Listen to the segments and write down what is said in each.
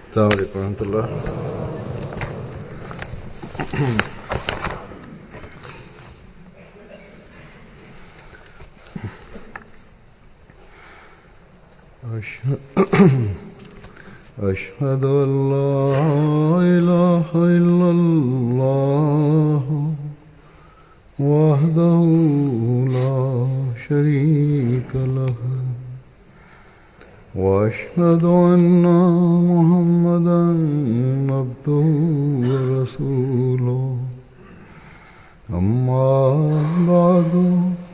السلام عليكم ورحمة الله. أشهد أن لا إله إلا الله وحده لا شريك له وأشهد أن محمدا عبده ورسوله أما بعد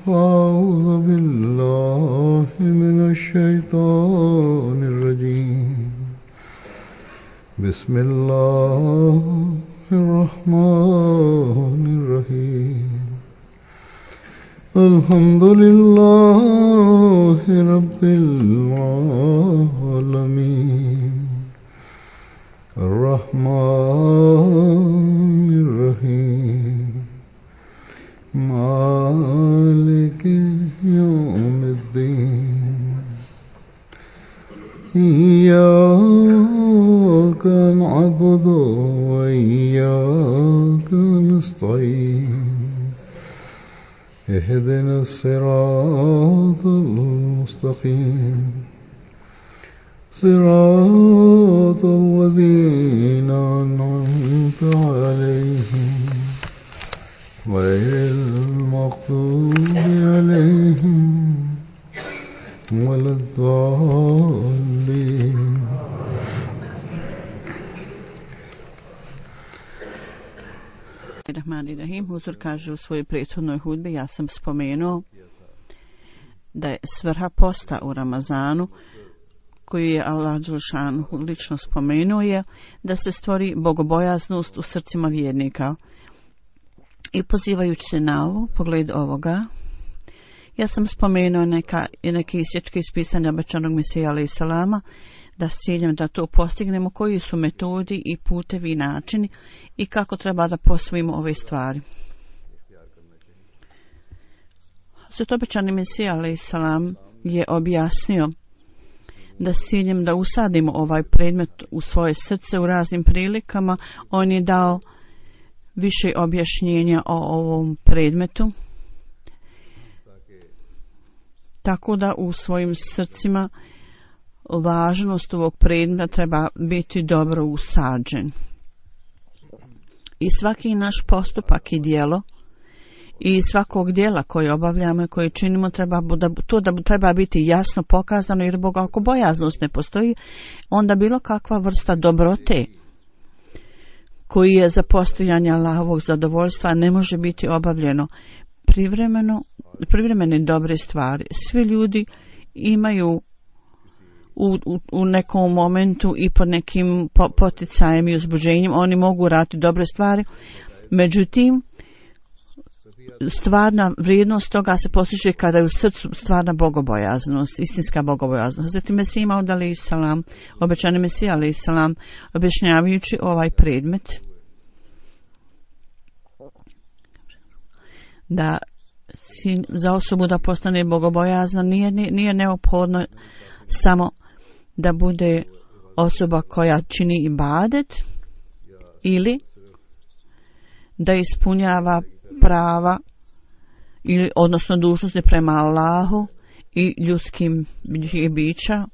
فأعوذ بالله من الشيطان الرجيم بسم الله الرحمن الرحيم الحمد لله رب العالمين الرحمن الرحيم مالك يوم الدين إياك نعبد وإياك نستعين اهدنا الصراط المستقيم صراط الذين أنعمت عليهم غير المغضوب عليهم ولا الضالين. Rahmanirrahim. Huzur kaže u svojoj prethodnoj hudbi, ja sam spomenuo da je svrha posta u Ramazanu, koju je Allah dželešanu lično spomenuo, je da se stvori bogobojaznost u srcima vjernika. I pozivajući se na ovo, pogled ovoga, ja sam spomenuo neke isječke iz pisanja obećanog Mesija alejhi selama, da s ciljem da to postignemo, koji su metodi i putevi i načini i kako treba da posvojimo ove stvari. Zato obećani Mesija alejhi selam je objasnio da s ciljem da usadimo ovaj predmet u svoje srce u raznim prilikama, on je dao više objašnjenja o ovom predmetu, tako da u svojim srcima važnost ovog predmeta treba biti dobro usađen. I svaki naš postupak i djelo i svakog djela koje obavljamo i koje činimo treba biti jasno pokazano, jer ako bojaznost ne postoji, onda bilo kakva vrsta dobrote koji je za postojanje Allahovog zadovoljstva ne može biti obavljeno. Privremene dobre stvari. Svi ljudi imaju u nekom momentu i pod nekim poticajem i uzbuđenjem, oni mogu raditi dobre stvari, međutim stvarna vrijednost toga se postiže kada je u srcu stvarna bogobojaznost, istinska bogobojaznost. Zatim Mesija Maud alejhi selam, obećani Mesija alejhi selam, objašnjavajući ovaj predmet, da za osobu da postane bogobojazna nije neophodno samo da bude osoba koja čini ibadet ili da ispunjava prava ili odnosno dužnosti prema Allahu i ljudskim bićima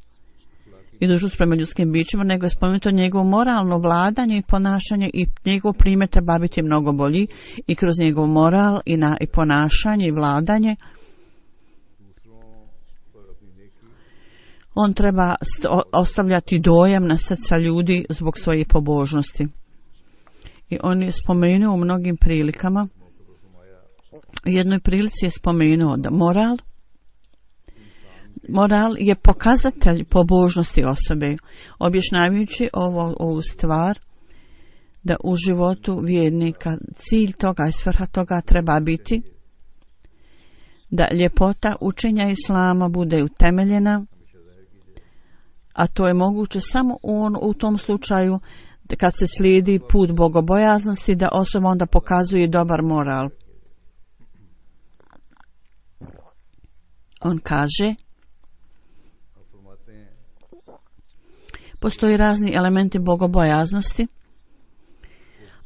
i dužnost prema ljudskim bićima, nego je spomenuto njegovo moralno vladanje i ponašanje, i njegov primjer treba biti mnogo bolji i kroz njegov moral i ponašanje i vladanje on treba ostavljati dojam na srca ljudi zbog svoje pobožnosti. I on je spomenuo u mnogim prilikama, u jednoj prilici je spomenuo da moral je pokazatelj pobožnosti osobe, objašnjavajući ovu stvar, da u životu vjernika cilj toga i svrha toga treba biti da ljepota učenja Islama bude utemeljena, a to je moguće samo u tom slučaju kad se slijedi put bogobojaznosti, da osoba onda pokazuje dobar moral. On kaže, Postoji razni elementi bogobojaznosti.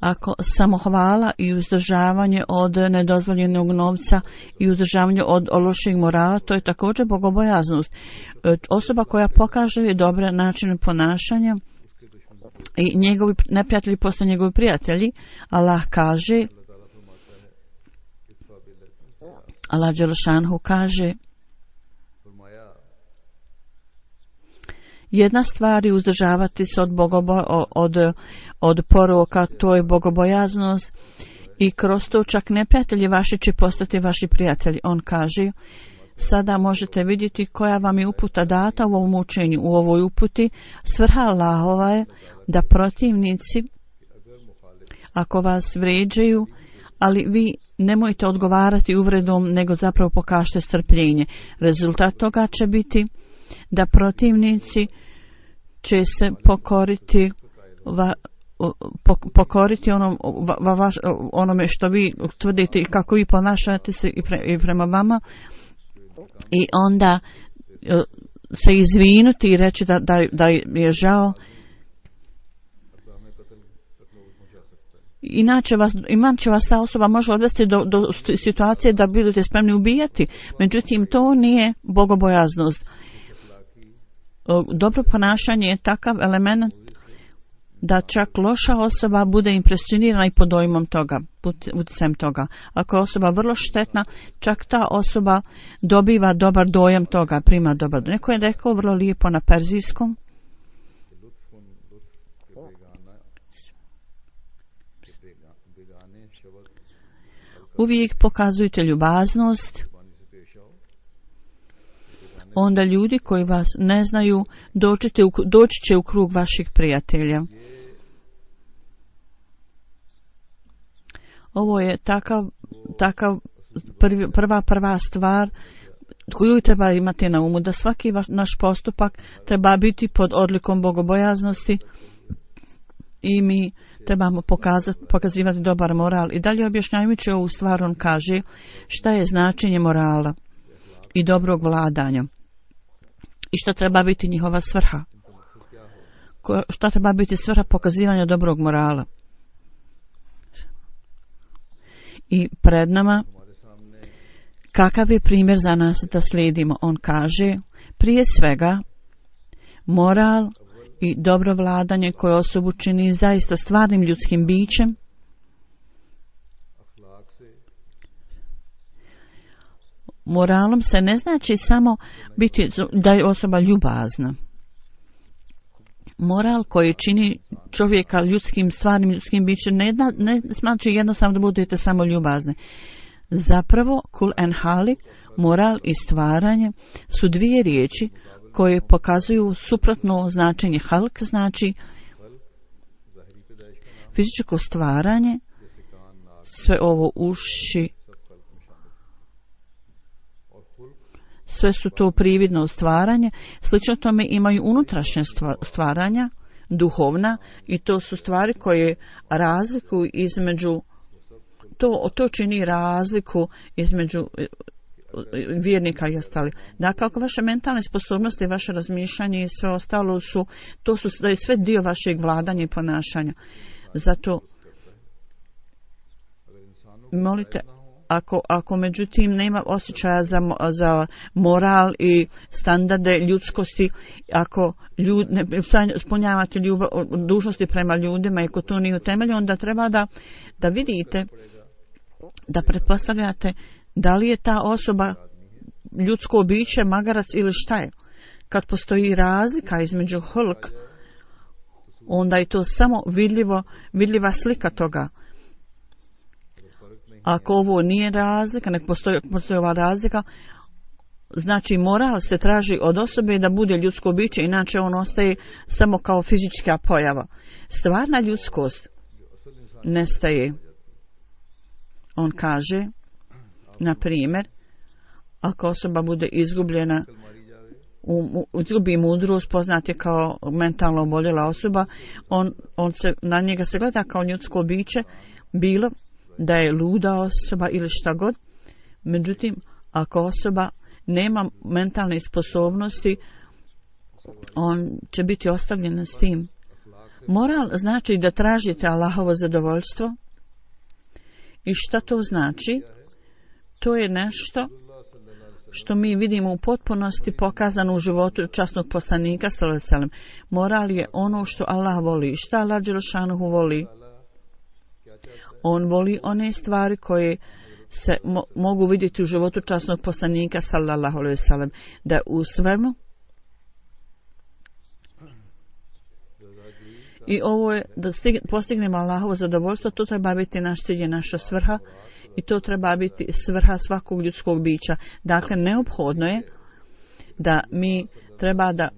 Ako samohvala i uzdržavanje od nedozvoljenog novca i uzdržavanje od lošeg morala, to je također bogobojaznost. Osoba koja pokaže dobre načine ponašanja i njegovi neprijatelji postaju njegovi prijatelji. Allah kaže, Allah Đelešanhu kaže, jedna stvar je uzdržavati se od poroka, to je bogobojaznost, i kroz to čak neprijatelji vaši će postati vaši prijatelji. On kaže, sada možete vidjeti koja vam je uputa data u ovom učenju. U ovoj uputi svrha Allahova je da protivnici, ako vas vrijeđaju, ali vi nemojte odgovarati uvredom, nego zapravo pokažite strpljenje. Rezultat toga će biti da protivnici će se pokoriti onome što vi tvrdite i kako vi ponašate se i prema vama, i onda se izvinuti i reći da je žao. Inače vas ta osoba može odvesti do situacije da budete spremni ubijati. Međutim, to nije bogobojaznost. Dobro ponašanje je takav element da čak loša osoba bude impresionirana i pod dojmom toga, utjecajem toga. Ako je osoba vrlo štetna, čak ta osoba dobiva dobar dojam toga, prima dobar dojam. Neko je rekao vrlo lijepo na perzijskom, uvijek pokazujte ljubaznost, onda ljudi koji vas ne znaju doći će u krug vaših prijatelja. Ovo je takav prva stvar koju treba imati na umu, da svaki naš postupak treba biti pod odlikom bogobojaznosti i mi trebamo pokazivati dobar moral. I dalje objašnjavajući ovu stvar, on kaže šta je značenje morala i dobrog vladanja i šta treba biti njihova svrha. Šta treba biti svrha pokazivanja dobrog morala. I pred nama kakav je primjer za nas da slijedimo. On kaže, prije svega moral i dobro vladanje koje osobu čini zaista stvarnim ljudskim bićem, moralom se ne znači samo biti da je osoba ljubazna. Moral koji čini čovjeka stvarnim ljudskim bićem ne znači jednostavno da budete samo ljubazni. Zapravo, kul en halik, moral i stvaranje su dvije riječi koje pokazuju suprotno značenje. Halk znači fizičko stvaranje, sve ovo uši, sve su to prividno stvaranje. Slično tome imaju unutrašnje stvaranja, duhovna, i to su stvari koje razlikuju između, to čini razliku između vjernika i ostali. Dakle, ako vaše mentalne sposobnosti, vaše razmišljanje i sve ostalo da je sve dio vašeg vladanja i ponašanja. Zato molite, ako međutim nema osjećaja za moral i standarde ljudskosti, ako ne ispunjavate dužnosti prema ljudima i ako to nije utemeljeno, onda treba da vidite, da pretpostavljate da li je ta osoba ljudsko biće, magarac ili šta je. Kad postoji razlika između hulk, onda je to samo vidljiva slika toga. Ako ovo nije razlika, nek postoji ova razlika, znači moral se traži od osobe da bude ljudsko biće, inače on ostaje samo kao fizička pojava. Stvarna ljudskost nestaje. On kaže, na primjer, ako osoba bude izgubljena, izgubi mudrost, poznat je kao mentalno oboljela osoba, na njega se gleda kao ljudsko biće, bilo da je luda osoba ili šta god. Međutim, ako osoba nema mentalne sposobnosti, on će biti ostavljen s tim. Moral znači da tražite Allahovo zadovoljstvo. I šta to znači? To je nešto što mi vidimo u potpunosti pokazano u životu časnog poslanika sallallahu alejhi ve sellem. Moral je ono što Allah voli. Šta Allah dželešanuhu voli? On voli one stvari koje se mogu vidjeti u životu časnog poslanika sallallahu alejhi ve sellem, da u svemu i ovo je da postignemo Allahovo zadovoljstvo, to treba biti naš cilj i naša svrha i to treba biti svrha svakog ljudskog bića. Dakle, neophodno je da mi treba da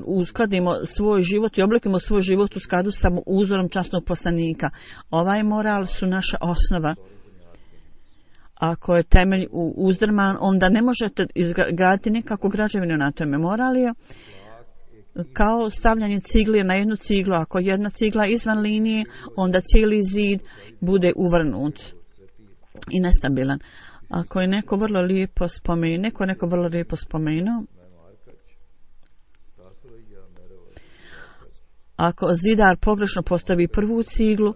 uskladimo svoj život i oblikujemo svoj život u skladu sa uzorom časnog poslanika. Ovaj moral su naša osnova. Ako je temelj uzdrman, onda ne možete izgraditi nikakvu građevinu na tome. Moral je kao stavljanje cigle na jednu ciglu. Ako jedna cigla izvan linije, onda cijeli zid bude uvrnut i nestabilan. Ako je neko vrlo lijepo spomenuo, ako zidar pogrešno postavi prvu ciglu,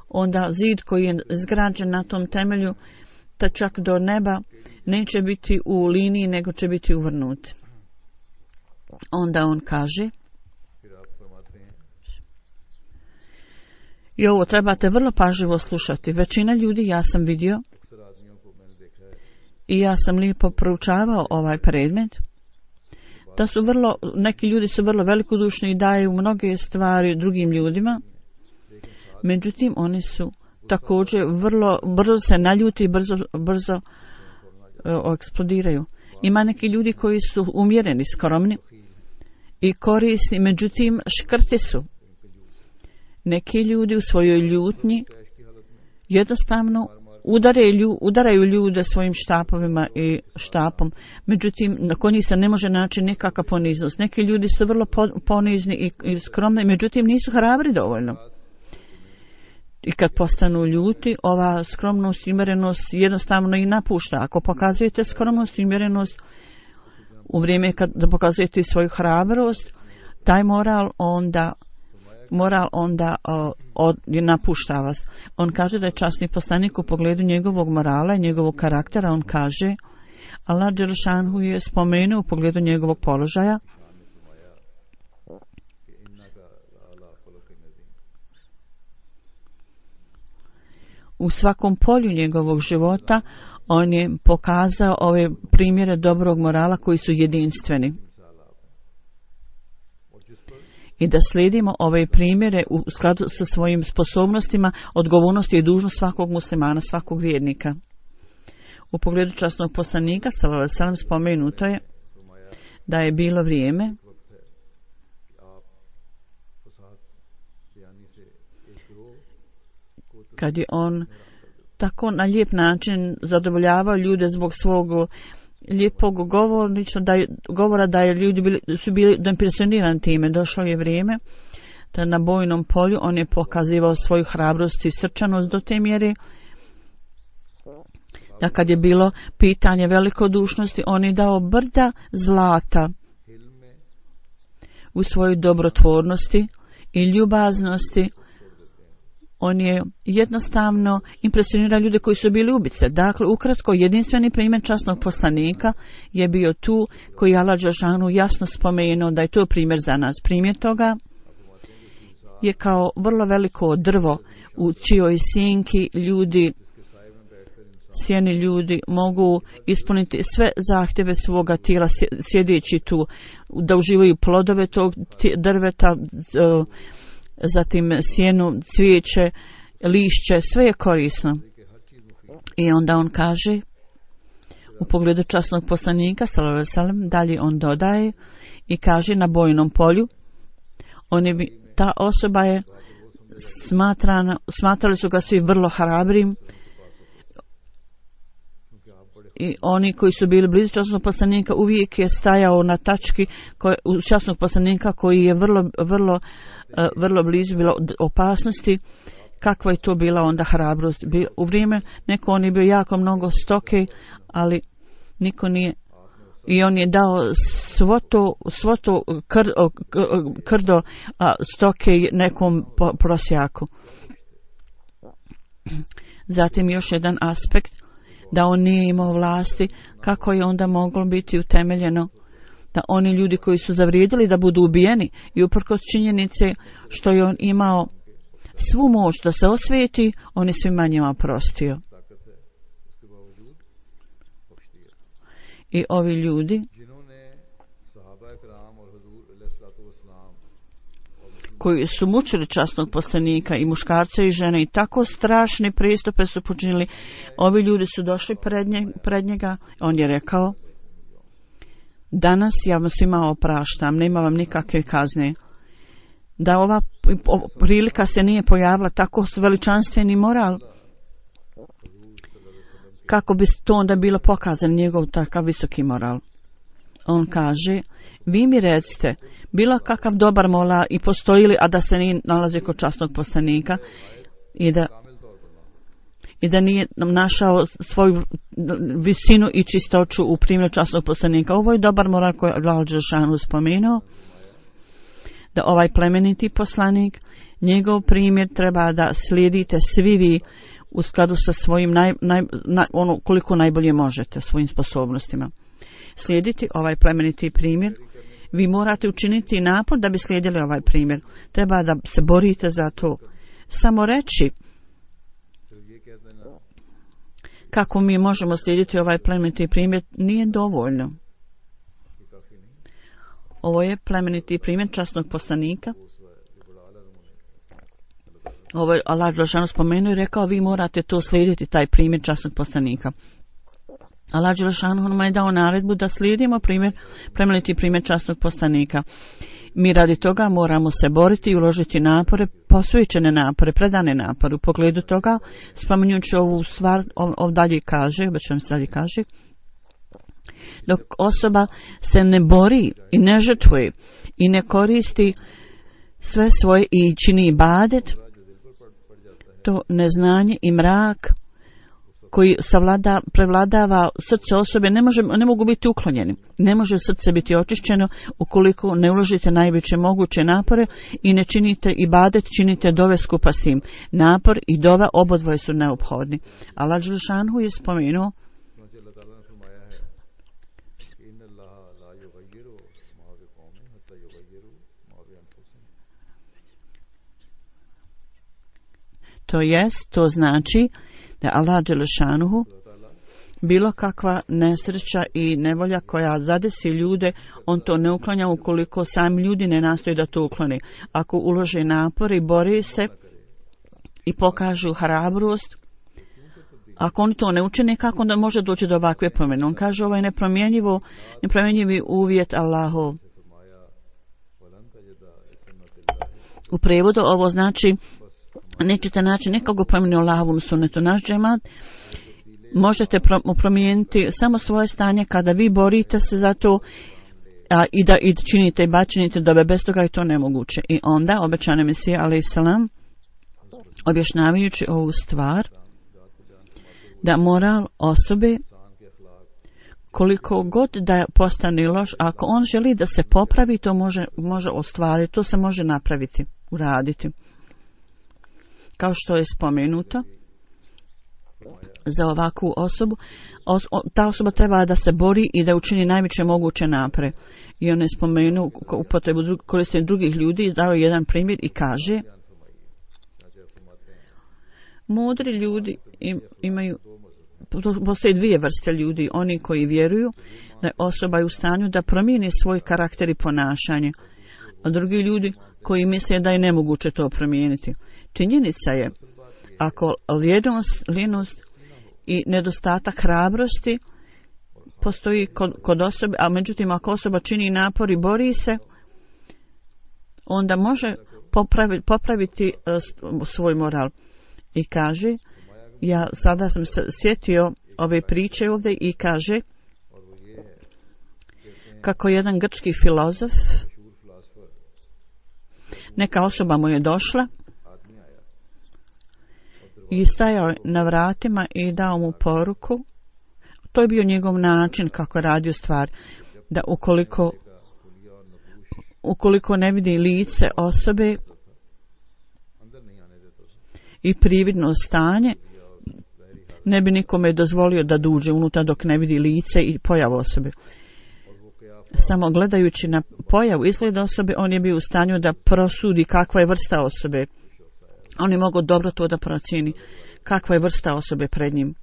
onda zid koji je izgrađen na tom temelju, ta čak do neba, neće biti u liniji, nego će biti uvrnut. Onda on kaže, i ovo trebate vrlo pažljivo slušati. Većina ljudi, ja sam vidio i ja sam lijepo proučavao ovaj predmet, da su neki ljudi su vrlo velikodušni i daju mnoge stvari drugim ljudima, međutim oni su također vrlo brzo se naljuti i brzo eksplodiraju. Ima neki ljudi koji su umjereni, skromni i korisni, međutim škrti su. Neki ljudi u svojoj ljutnji jednostavno udaraju ljude svojim štapovima i štapom, međutim nakon njih se ne može naći nikakva poniznost. Neki ljudi su vrlo ponizni i skromni, međutim nisu hrabri dovoljno. I kad postanu ljuti, ova skromnost i umjerenost jednostavno i napušta. Ako pokazujete skromnost i umjerenost u vrijeme kad pokazujete svoju hrabrost, taj moral onda napušta vas. On kaže da je časni poslanik u pogledu njegovog morala i njegovog karaktera, on kaže, Allah dželešanhu je spomenuo u pogledu njegovog položaja u svakom polju njegovog života. On je pokazao ove primjere dobrog morala koji su jedinstveni. I da slijedimo ove primjere u skladu sa svojim sposobnostima, odgovornosti i dužnost svakog muslimana, svakog vjernika. U pogledu časnog poslanika sallallahu alejhi ve sellem spomenuto je da je bilo vrijeme kad je on tako na lijep način zadovoljavao ljude zbog svog lijepog govora da je ljudi su bili impresionirani time. Došlo je vrijeme da na bojnom polju on je pokazivao svoju hrabrost i srčanost do te mjere da kad je bilo pitanje velikodušnosti, on je dao brda zlata u svojoj dobrotvornosti i ljubaznosti. On je jednostavno impresionirao ljude koji su bili ubice. Dakle, ukratko, jedinstveni primjer časnog poslanika je bio tu koji Allah dželešanu jasno spomenuo da je to primjer za nas. Primjer toga je kao vrlo veliko drvo u čijoj sjeni ljudi mogu ispuniti sve zahtjeve svoga tijela sjedeći tu, da uživaju plodove tog drveta, zatim sjenu, cvijeće, lišće, sve je korisno. I onda on kaže u pogledu časnog poslanika sallallahu alejhi ve sellem, dalje on dodaje i kaže na bojnom polju ta osoba je smatrali su ga svi vrlo hrabrim i oni koji su bili blizu časnog poslanika uvijek je stajao na tački časnog poslanika koji je vrlo blizu bilo opasnosti. Kakva je to bila onda hrabrost? U vrijeme neko on je bio jako mnogo stoke, ali niko nije, i on je dao svo to krdo stoke nekom prosjaku. Zatim još jedan aspekt, da on nije imao vlasti, kako je onda moglo biti utemeljeno da oni ljudi koji su zavrijedili da budu ubijeni i uprkos činjenice što je on imao svu moć da se osvijeti, on je svima njima prostio. I ovi ljudi koji su mučili časnog poslanika i muškarca i žene i tako strašne pristupe su počinili, ovi ljudi su došli pred njega, on je rekao: danas ja vam svima opraštam, nema vam nikakve kazne. Da ova prilika se nije pojavila, tako veličanstveni moral, kako bi to onda bilo pokazan njegov takav visoki moral. On kaže: vi mi recite, bilo kakav dobar mola i postoji li, a da se nije nalazi kod časnog poslanika i da nije našao svoju visinu i čistoću u primjeru časnog poslanika. Ovo je dobar moral koji je Allah dželešanu spomenuo, da ovaj plemeniti poslanik, njegov primjer treba da slijedite svi vi u skladu sa svojim ono koliko najbolje možete, svojim sposobnostima. Slijediti ovaj plemeniti primjer, vi morate učiniti napor da bi slijedili ovaj primjer. Treba da se borite za to. Samo reći kako mi možemo slijediti ovaj plemeniti primjer nije dovoljno. Ovo je plemeniti primjer časnog poslanika. Ovo je Allah dželešanu spomenuo i rekao: vi morate to slijediti, taj primjer časnog poslanika. Allah dželešanu nam je dao naredbu da slijedimo plemeniti primjer časnog poslanika. Mi radi toga moramo se boriti i uložiti napore, posvećene napore, predane napore. U pogledu toga, spominjući ovu stvar, dalje kaže, dok osoba se ne bori i ne žrtvuje i ne koristi sve svoje i čini ibadet, to neznanje i mrak koji prevladava srce osobe ne mogu biti uklonjeni. Ne može srce biti očišćeno ukoliko ne uložite najveće moguće napore i ne činite ibadet, činite dove skupa s tim. Napor i dova obodvoje su neophodni. Allah dželešanu je spomenuo: to znači da Allah dželešanuhu bilo kakva nesreća i nevolja koja zadesi ljude, on to ne uklanja ukoliko sami ljudi ne nastoje da to uklone. Ako ulože napor i bori se i pokažu hrabrost, ako oni to ne učine, kako onda može doći do ovakve promjene? On kaže: ovo je nepromjenjivi uvjet Allahov. U prevodu ovo znači: nećete naći nikoga promjeni Allahovom sunnetu. Naš džemat možete promijeniti samo svoje stanje kada vi borite se za to i činite i činite dobe. Bez toga je to nemoguće. I onda obećani Mesija alejselam, objašnjavajući ovu stvar, da moral osobe, koliko god da postane loš, ako on želi da se popravi, to može ostvariti, to se može napraviti, uraditi. Kao što je spomenuto, za ovakvu osobu, ta osoba treba da se bori i da učini najveće moguće napore. I on je spomenuo upotrebu korištenja drugih ljudi, dao jedan primjer i kaže: mudri ljudi imaju, postoje dvije vrste ljudi, oni koji vjeruju da je osoba u stanju da promijeni svoj karakter i ponašanje, a drugi ljudi koji misle da je nemoguće to promijeniti. Činjenica je, ako lijenost i nedostatak hrabrosti postoji kod osobe, a međutim ako osoba čini napor i bori se, onda može popraviti svoj moral. I kaže, ja sada sam se sjetio ove priče ovdje i kaže kako jedan grčki filozof, neka osoba mu je došla i stajao na vratima i dao mu poruku. To je bio njegov način kako radio stvar, da ukoliko ukoliko ne vidi lice osobe i prividno stanje, ne bi nikome dozvolio da duže unutra dok ne vidi lice i pojavu osobe. Samo gledajući na pojavu, izgled osobe, on je bio u stanju da prosudi kakva je vrsta osobe. On je mogao dobro to da procijeni kakva je vrsta osobe pred njim.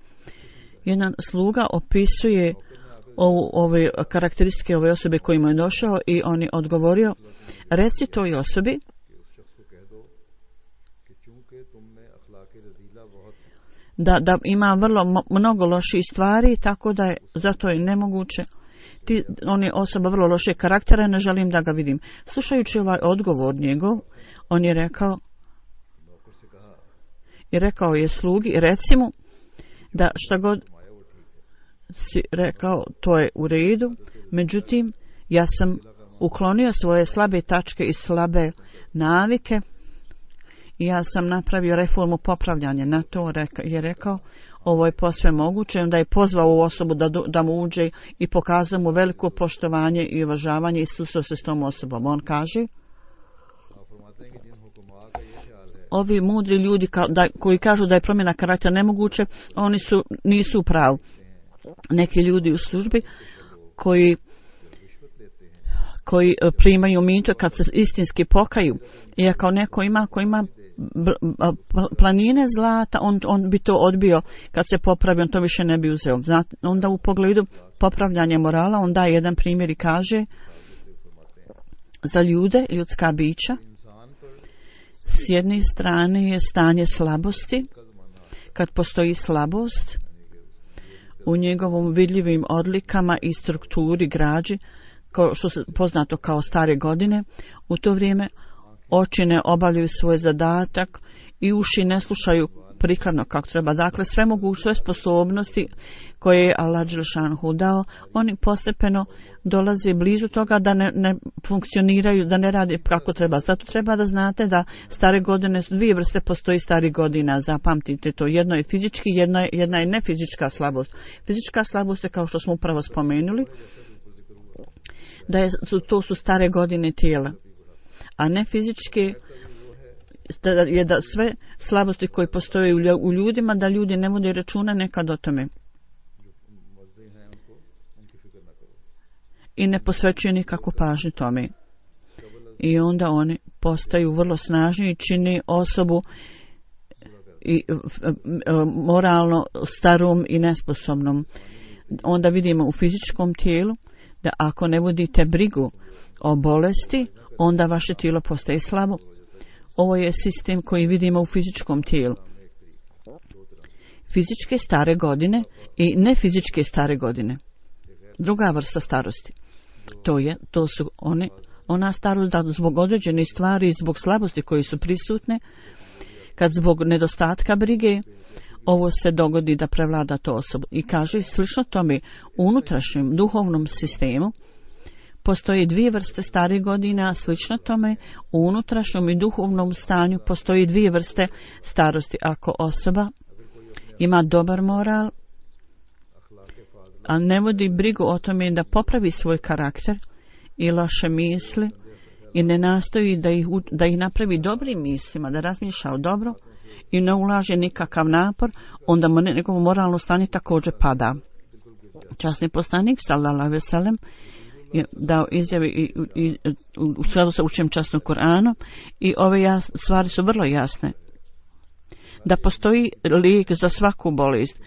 Jedan sluga opisuje ove karakteristike ove osobe kojima je došao i on je odgovorio, reci toj osobi da ima vrlo mnogo loših stvari, tako da je zato je nemoguće. On je osoba vrlo lošeg karaktera, ne želim da ga vidim. Slušajući ovaj odgovor njegov, on je rekao je slugi, reci mu da šta god si rekao, to je u redu, međutim, ja sam uklonio svoje slabe tačke i slabe navike i ja sam napravio reformu popravljanja. Na to je rekao, ovo je posve moguće, onda je pozvao ovu osobu da mu uđe i pokazao mu veliko poštovanje i uvažavanje i susreo se s tom osobom. On kaže, ovi mudri ljudi koji kažu da je promjena karaktera nemoguće, oni nisu u pravu. Neki ljudi u službi koji primaju mito kad se istinski pokaju, i ako neko ko ima planine zlata, on bi to odbio kad se popravi, on to više ne bi uzeo. Onda u pogledu popravljanja morala on daje jedan primjer i kaže, za ljudska bića, s jedne strane je stanje slabosti. Kad postoji slabost u njegovom vidljivim odlikama i strukturi građi, što se poznato kao stare godine, u to vrijeme oči ne obavljaju svoj zadatak i uši ne slušaju prikladno kako treba. Dakle, sve sposobnosti koje je Allah dželešanohu dao, oni postepeno dolaze blizu toga da ne funkcioniraju, da ne rade kako treba. Zato treba da znate da stare godine su dvije vrste, postoji starih godina, zapamtite to. Jedno je fizički, jedna je nefizička slabost. Fizička slabost je, kao što smo upravo spomenuli, to su stare godine tijela, a ne fizičke je da sve slabosti koje postoje u ljudima, da ljudi ne vode računa nekad o tome i ne posvećuju nikakvu pažnju tome, i onda oni postaju vrlo snažni i čini osobu i moralno starom i nesposobnom. Onda vidimo u fizičkom tijelu da ako ne vodite brigu o bolesti, onda vaše tijelo postaje slabo. Ovo je sistem koji vidimo u fizičkom tijelu. Fizičke stare godine i nefizičke stare godine. Druga vrsta starosti. To su ona starost da zbog određenih stvari, zbog slabosti koji su prisutne, kad zbog nedostatka brige, ovo se dogodi da prevlada to osobu. I kaže, slično tome, u unutrašnjem duhovnom sistemu postoji dvije vrste starih godina, slično tome, u unutrašnjem i duhovnom stanju postoji dvije vrste starosti. Ako osoba ima dobar moral, a ne vodi brigu o tome da popravi svoj karakter i loše misli i ne nastoji da ih napravi dobrim mislima, da razmišlja o dobro i ne ulaže nikakav napor, onda njegovo moralno stanje također pada. Časni poslanik sallallahu alejhi ve sellem je dao izjave i u skladu sa učenjem časnog Kur'ana, i ove stvari su vrlo jasne. Da postoji lijek za svaku bolest.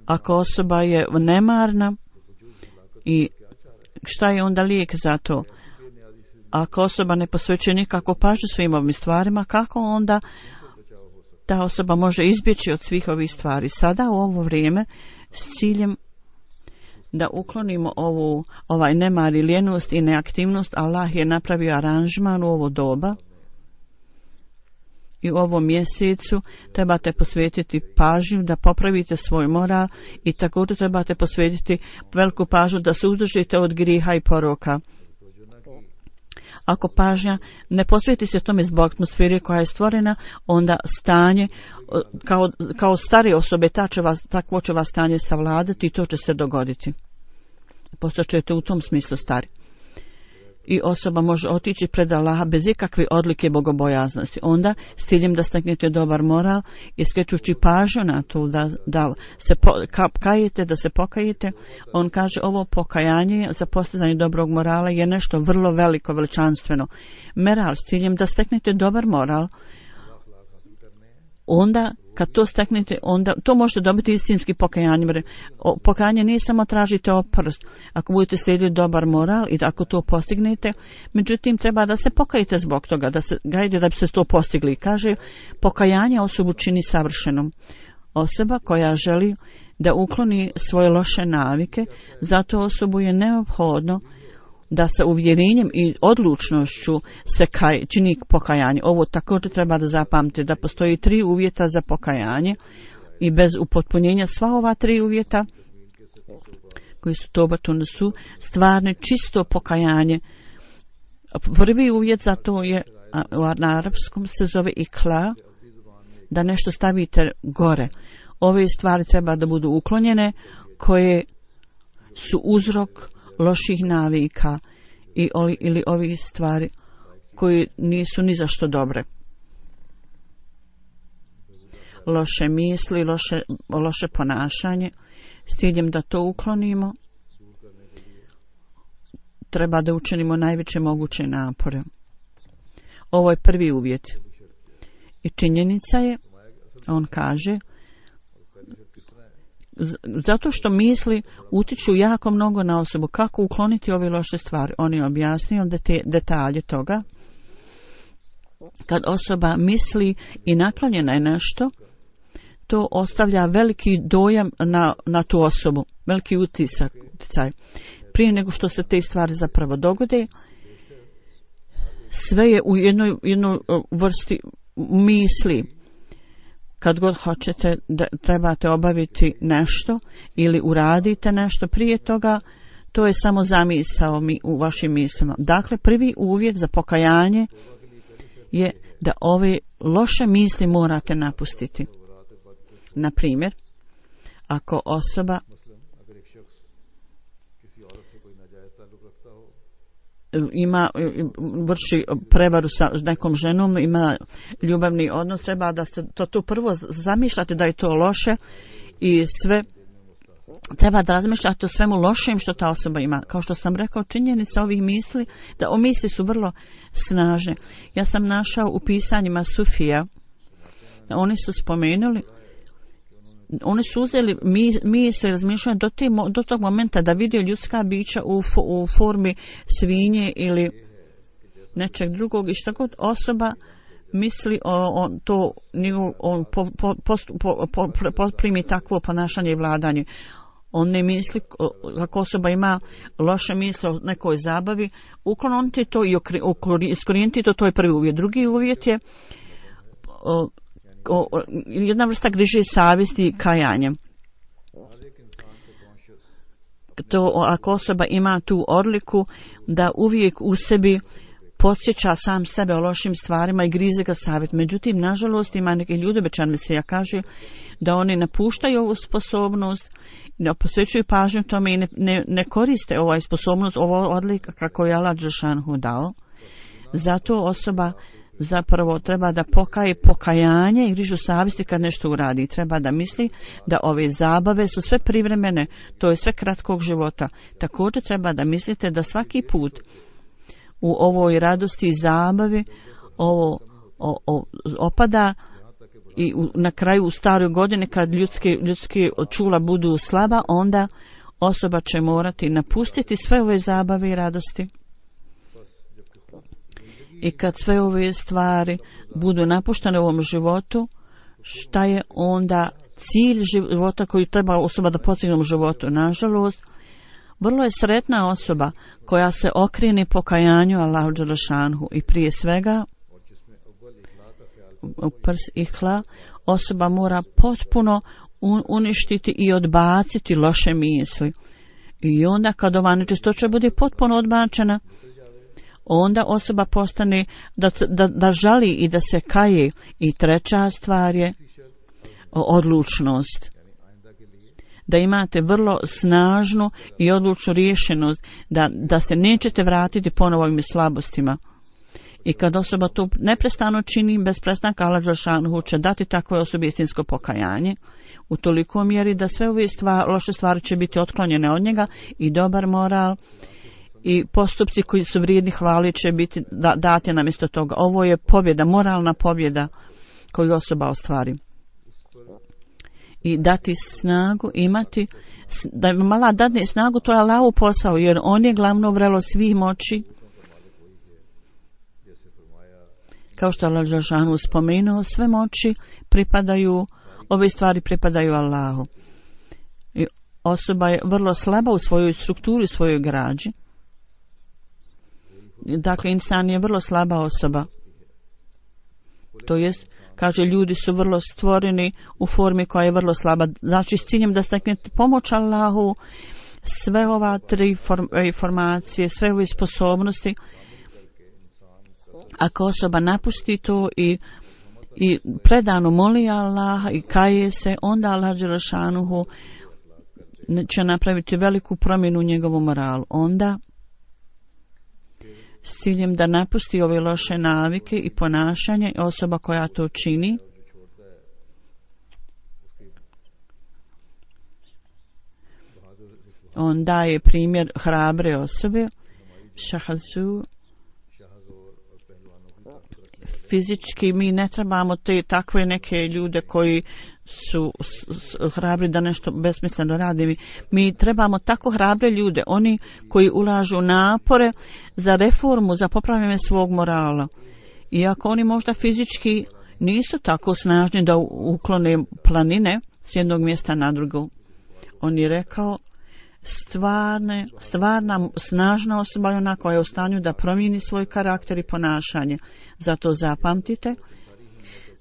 Ako osoba je nemarna, i šta je onda lijek za to? Ako osoba ne posvećuje nikako pažnju svim ovim stvarima, kako onda ta osoba može izbjeći od svih ovih stvari? Sada u ovo vrijeme s ciljem da uklonimo ovaj nemar i lijenost i neaktivnost, Allah je napravio aranžman u ovo doba i u ovom mjesecu trebate posvetiti pažnju da popravite svoj moral i također trebate posvetiti veliku pažnju da se uzdržite od grijeha i poroka. Ako pažnja ne posveti se tome zbog atmosfere koja je stvorena, onda stanje kao stare osobe takvo će vas stanje savladati i to će se dogoditi. Postaćete u tom smislu stari. i osoba može otići pred Allaha bez ikakve odlike bogobojaznosti. Onda s ciljem da steknete dobar moral i skrećući pažnju na to da se kajete, da se pokajete, on kaže ovo pokajanje za postizanje dobrog morala je nešto vrlo veliko, veličanstveno. Moral s ciljem da steknete dobar moral, onda kad to steknete, onda to možete dobiti istinskim pokajanjem. Pokajanje nije samo tražite oprost ako budete slijediti dobar moral i ako to postignete, međutim treba da se pokajete zbog toga, da se gajde da bi se to postigli. Kaže, pokajanje osobu čini savršenom. Osoba koja želi da ukloni svoje loše navike, zato osobu je neophodno da sa uvjerenjem i odlučnošću se čini pokajanje. Ovo također treba da zapamtite, da postoji 3 uvjeta za pokajanje i bez upotpunjenja sva ova 3 uvjeta koji su tobatun su stvarne čisto pokajanje. Prvi uvjet za to je, na arapskom se zove ikla, da nešto stavite gore. Ove stvari treba da budu uklonjene koje su uzrok loših navika ili ovih stvari koji nisu ni za što dobre. Loše misli, loše ponašanje, s ciljem da to uklonimo, treba da učinimo najveće moguće napore. Ovo je prvi uvjet. I činjenica je, on kaže, zato što misli utiču jako mnogo na osobu. Kako ukloniti ove loše stvari? On je objasnio detalje toga. Kad osoba misli i naklonjena je nešto, to ostavlja veliki dojam na tu osobu, veliki uticaj. Prije nego što se te stvari zapravo dogode, sve je u jednoj vrsti misli. Kad god hoćete da trebate obaviti nešto ili uradite nešto prije toga, to je samo zamisao u vašim mislima. Dakle, prvi uvjet za pokajanje je da ove loše misli morate napustiti. Na primjer, ako osoba vrši prevaru sa nekom ženom, ima ljubavni odnos, treba da ste to prvo zamišljate da je to loše i sve treba da razmišljate o svemu lošem što ta osoba ima. Kao što sam rekao, činjenica ovih misli, da o misli su vrlo snažne. Ja sam našao u pisanjima Sufija, oni su spomenuli, oni su uzeli misli, razmišljaju do tog momenta da vide ljudska bića u formi svinje ili nečeg drugog i što god osoba misli on primi takvo ponašanje i vladanje. On ne misli, ako osoba ima loše misle o nekoj zabavi, ukloniti to i iskorijeniti to je prvi uvjet. Drugi uvjet je jedna vrsta griže savjesti i kajanja. To ako osoba ima tu odliku da uvijek u sebi podsjeća sam sebe o lošim stvarima i grize ga savjet. Međutim, nažalost, ima neki ljudi, obećan Mesija kaže, da oni napuštaju ovu sposobnost, da posvećuju pažnju tome i ne koriste ovaj sposobnost, ovo odlika kako je Allah dželešanu dao. Zato osoba zapravo treba da pokaje pokajanje i grižu savjesti kad nešto uradi. Treba da misli da ove zabave su sve privremene, to je sve kratkog života. Također treba da mislite da svaki put u ovoj radosti i zabavi ovo opada i na kraju u staroj godini kad ljudske čula budu slaba, onda osoba će morati napustiti sve ove zabave i radosti. I kad sve ove stvari budu napuštene u ovom životu, šta je onda cilj života koji treba osoba da postigne u životu? Nažalost, vrlo je sretna osoba koja se okrene pokajanju Allahu dželešanu i prije svega ihla, osoba mora potpuno uništiti i odbaciti loše misli. I onda kad ova nečistoća bude potpuno odbačena, onda osoba postane da žali i da se kaje. I treća stvar je odlučnost. da imate vrlo snažnu i odlučnu rješenost da se nećete vratiti ponovo ovim slabostima. I kad osoba to neprestano čini, bez prestanka Allah dželešanu će dati takvoj osobi istinsko pokajanje u toliko mjeri da sve ove loše stvari će biti otklonjene od njega i dobar moral i postupci koji su vrijedni hvali će biti dati namjesto toga. Ovo je pobjeda, moralna pobjeda koju osoba ostvari. I dati snagu, imati, da im Allah dadne snagu, to je Allahov posao, jer on je glavno vrelo svih moći. Kao što Allah dželešanu spomenuo, sve moći pripadaju, ove stvari pripadaju Allahu. I osoba je vrlo slaba u svojoj strukturi, svojoj građi. Dakle, insan je vrlo slaba osoba. To jest, kaže, ljudi su vrlo stvoreni u formi koja je vrlo slaba. Znači, s ciljem da steknete pomoć Allahu, sve ova tri informacije, sve ove sposobnosti, ako osoba napusti to i predano moli Allaha i kaje se, onda Allah dželešanuhu će napraviti veliku promjenu u njegovom moralu. Onda, s ciljem da napusti ove loše navike i ponašanje, osoba koja to čini, on daje primjer hrabre osobe, šahazu. Fizički mi ne trebamo te takve neke ljude koji su hrabri da nešto besmisleno radi. Mi trebamo tako hrabre ljude, oni koji ulažu napore za reformu, za popravljanje svog morala. Iako oni možda fizički nisu tako snažni da uklone planine s jednog mjesta na drugo. On je rekao, stvarna snažna osoba je ona koja je u stanju da promijeni svoj karakter i ponašanje. Zato zapamtite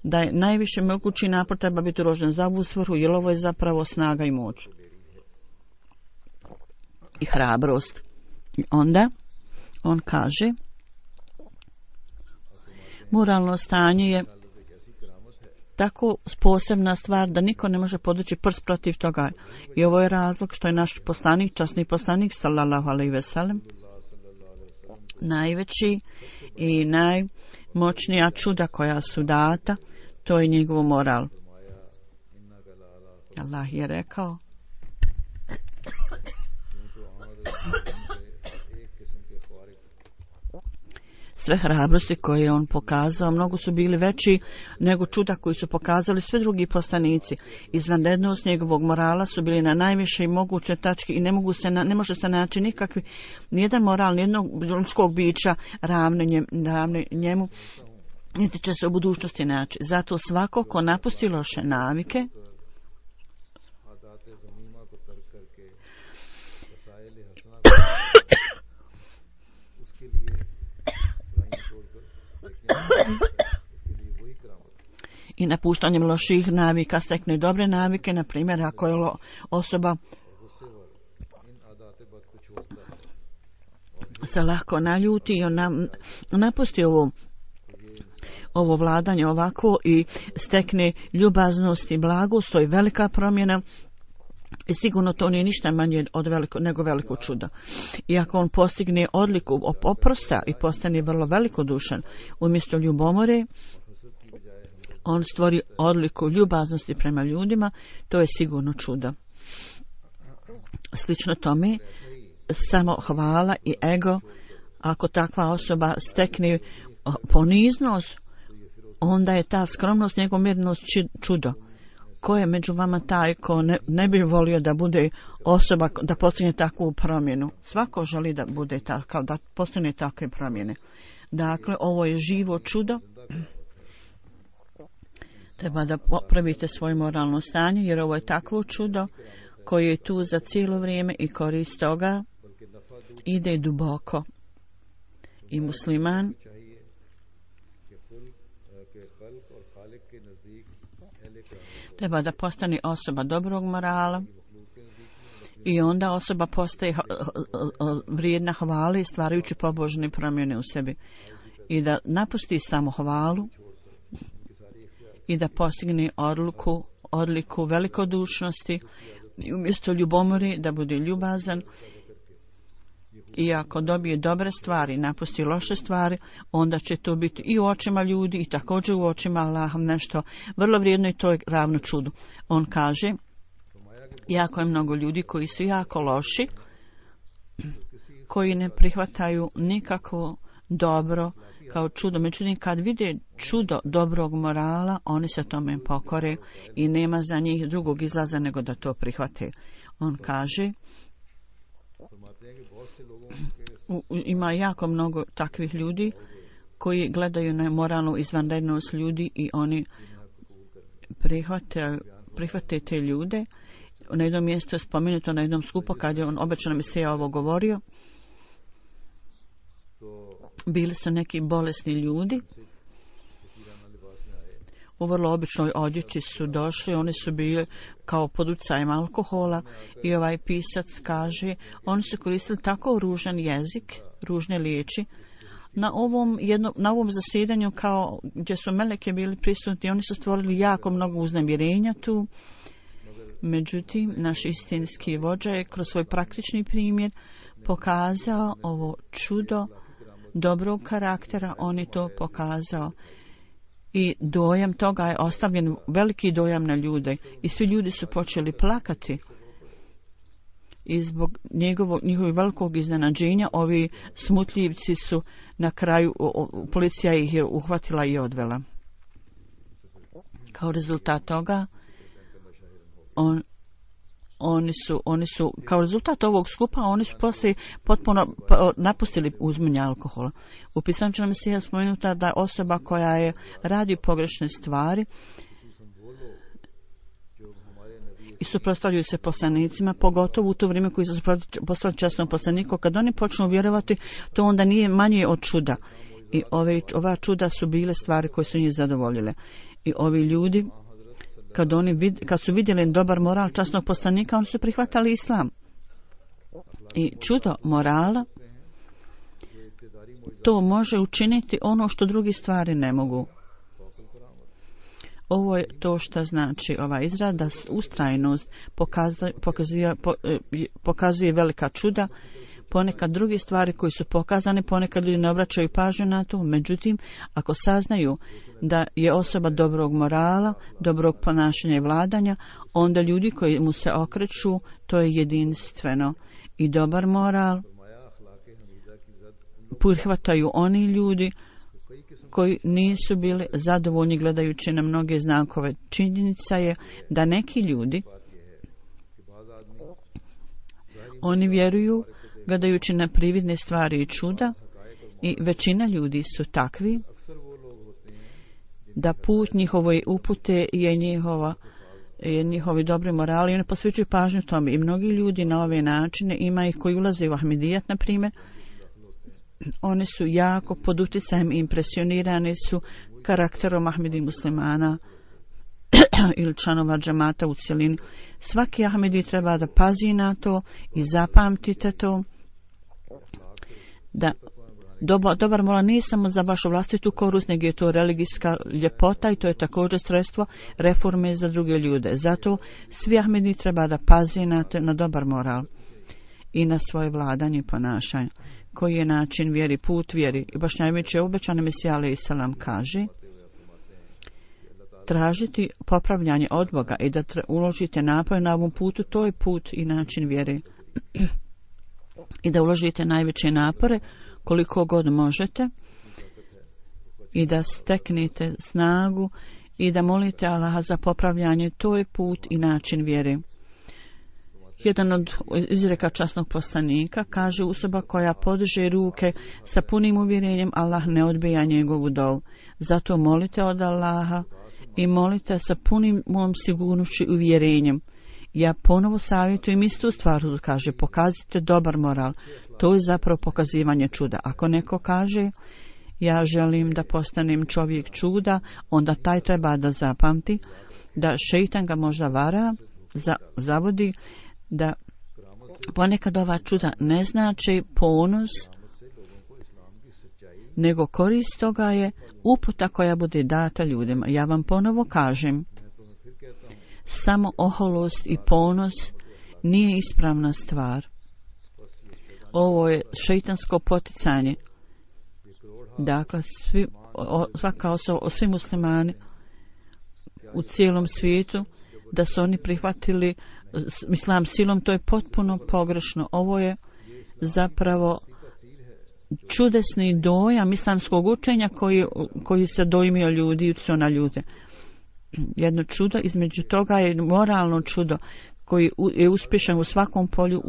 da je najviše mogući napor treba biti uložen za ovu svrhu, jer ovo je zapravo snaga i moć i hrabrost. I onda on kaže, moralno stanje je tako posebna stvar da niko ne može podići prst protiv toga. I ovo je razlog što je naš poslanik, časni poslanik sallallahu alejhi ve sellem, najveći i najmoćnija čuda koja su data, to je njegov moral. Allah je rekao, sve hrabrosti koje je on pokazao, mnogo su bili veći nego čuda koji su pokazali sve drugi poslanici. Izvanrednost njegovog morala su bili na najvišoj moguće tački i ne može se naći nikakvi, nijedan moral, nijednog ljudskog bića ravne njemu, niti će se u budućnosti naći. Zato svako ko napusti loše navike, i napuštanjem loših navika stekne dobre navike, na primjer ako je osoba se lako naljuti i on napusti ovo vladanje ovako i stekne ljubaznost i blagost, to je velika promjena. I sigurno to nije ništa manje nego veliko čudo. I ako on postigne odliku oprosta i postane vrlo velikodušan, umjesto ljubomore, on stvori odliku ljubaznosti prema ljudima, to je sigurno čudo. Slično tome, samo hvala i ego, ako takva osoba stekne poniznost, onda je ta skromnost, njegov mirnost čudo. Ko je među vama taj ko ne bi volio da bude osoba da postigne takvu promjenu? Svako želi da bude takav, da postigne takve promjene. Dakle, ovo je živo čudo. Treba da popravite svoje moralno stanje, jer ovo je takvo čudo koje je tu za cijelo vrijeme i korist toga ide duboko. I musliman treba da postane osoba dobrog morala i onda osoba postaje vrijedna hvale stvarajući pobožne promjene u sebi. I da napusti samo hvalu i da postigne odliku velikodušnosti, i umjesto ljubomore da bude ljubazan, i ako dobije dobre stvari, napusti loše stvari, onda će to biti i u očima ljudi i također u očima Allaha nešto vrlo vrijedno i to je ravno čudu. On kaže, jako je mnogo ljudi koji su jako loši, koji ne prihvataju nikakvo dobro kao čudo. Međutim, kad vide čudo dobrog morala, oni se tome pokore i nema za njih drugog izlaza nego da to prihvate. On kaže, ima jako mnogo takvih ljudi koji gledaju na moralnu izvanrednost ljudi i oni prihvate te ljude. Na jednom mjestu je spomenuto na jednom skupu kad je on obećano mi se ovo govorio. Bili su neki bolesni ljudi. U vrlo običnoj odjeći su došli, oni su bili kao pod utjecajem alkohola i ovaj pisac kaže, oni su koristili tako ružan jezik, ružne riječi. Na ovom zasjedanju kao gdje su meleke bili prisutni, oni su stvorili jako mnogo uznemirenja tu. Međutim, naš istinski vođa je kroz svoj praktični primjer pokazao ovo čudo dobrog karaktera, on je to pokazao. I dojam toga je ostavljen, veliki dojam na ljude. I svi ljudi su počeli plakati. I zbog njihovog velikog iznenađenja, ovi smutljivci su na kraju, policija ih je uhvatila i odvela. Kao rezultat toga, oni su, kao rezultat ovog skupa, oni su poslije potpuno napustili uzimanje alkohola. U pisanju nam se je spomenuta da osoba koja je radi pogrešne stvari i suprotstavljaju se poslanicima, pogotovo u to vrijeme koji su postali časnom poslaniku, kad oni počnu vjerovati, to onda nije manje od čuda. I ova čuda su bile stvari koje su njih zadovoljile. I ovi ljudi, kad su vidjeli dobar moral časnog poslanika, oni su prihvatali islam. I čudo morala, to može učiniti ono što drugi stvari ne mogu. Ovo je to što znači ova izraz, da ustrajnost pokazuje velika čuda. Ponekad druge stvari koji su pokazane, ponekad ljudi ne obraćaju pažnju na to. Međutim, ako saznaju da je osoba dobrog morala, dobrog ponašanja i vladanja, onda ljudi koji mu se okreću, to je jedinstveno. I dobar moral prihvataju oni ljudi koji nisu bili zadovoljni gledajući na mnoge znakove. Činjenica je da neki ljudi, oni vjeruju gledajući na prividne stvari i čuda, i većina ljudi su takvi da put njihove upute je njihovi dobri morali i oni posvećuju pažnju tome. I mnogi ljudi na ove načine, ima ih koji ulaze u Ahmedijat, na primjer, oni su jako pod utjecajem i impresionirani su karakterom Ahmedi muslimana ili članova džamata u cjelini. Svaki Ahmedi treba da pazi na to i zapamtite to, da dobar moral nije samo za vašu vlastitu korist, nego je to religijska ljepota i to je također sredstvo reforme za druge ljude. Zato svi Ahmedi treba da pazi na dobar moral i na svoje vladanje i ponašanje. Koji je način vjeri, put vjeri. I baš najveće obećane Mesija alejhi selam kaže, tražiti popravljanje od Boga i da uložite napor na ovom putu, to je put i način vjere. I da uložite najveće napore koliko god možete i da steknete snagu i da molite Allaha za popravljanje, to je put i način vjere. Jedan od izreka časnog poslanika kaže, osoba koja podiže ruke sa punim uvjerenjem, Allah ne odbija njegovu dovu. Zato molite od Allaha i molite sa punim mojom sigurnošću i uvjerenjem. Ja ponovo savjetujem istu stvar, kaže, pokazite dobar moral. To je zapravo pokazivanje čuda. Ako neko kaže, ja želim da postanem čovjek čuda, onda taj treba da zapamti da šeitan ga možda vara, zavodi, da ponekad ova čuda ne znači ponos, nego korist toga je uputa koja bude data ljudima. Ja vam ponovo kažem, samo oholost i ponos nije ispravna stvar. Ovo je šeitansko poticanje. Dakle, svaka osoba, svi muslimani u cijelom svijetu, da su oni prihvatili islam silom, to je potpuno pogrešno. Ovo je zapravo čudesni dojam islamskog učenja koji se dojmio ljudi i utjecao na ljude. Jedno čudo, između toga je moralno čudo koji je uspješan u svakom polju,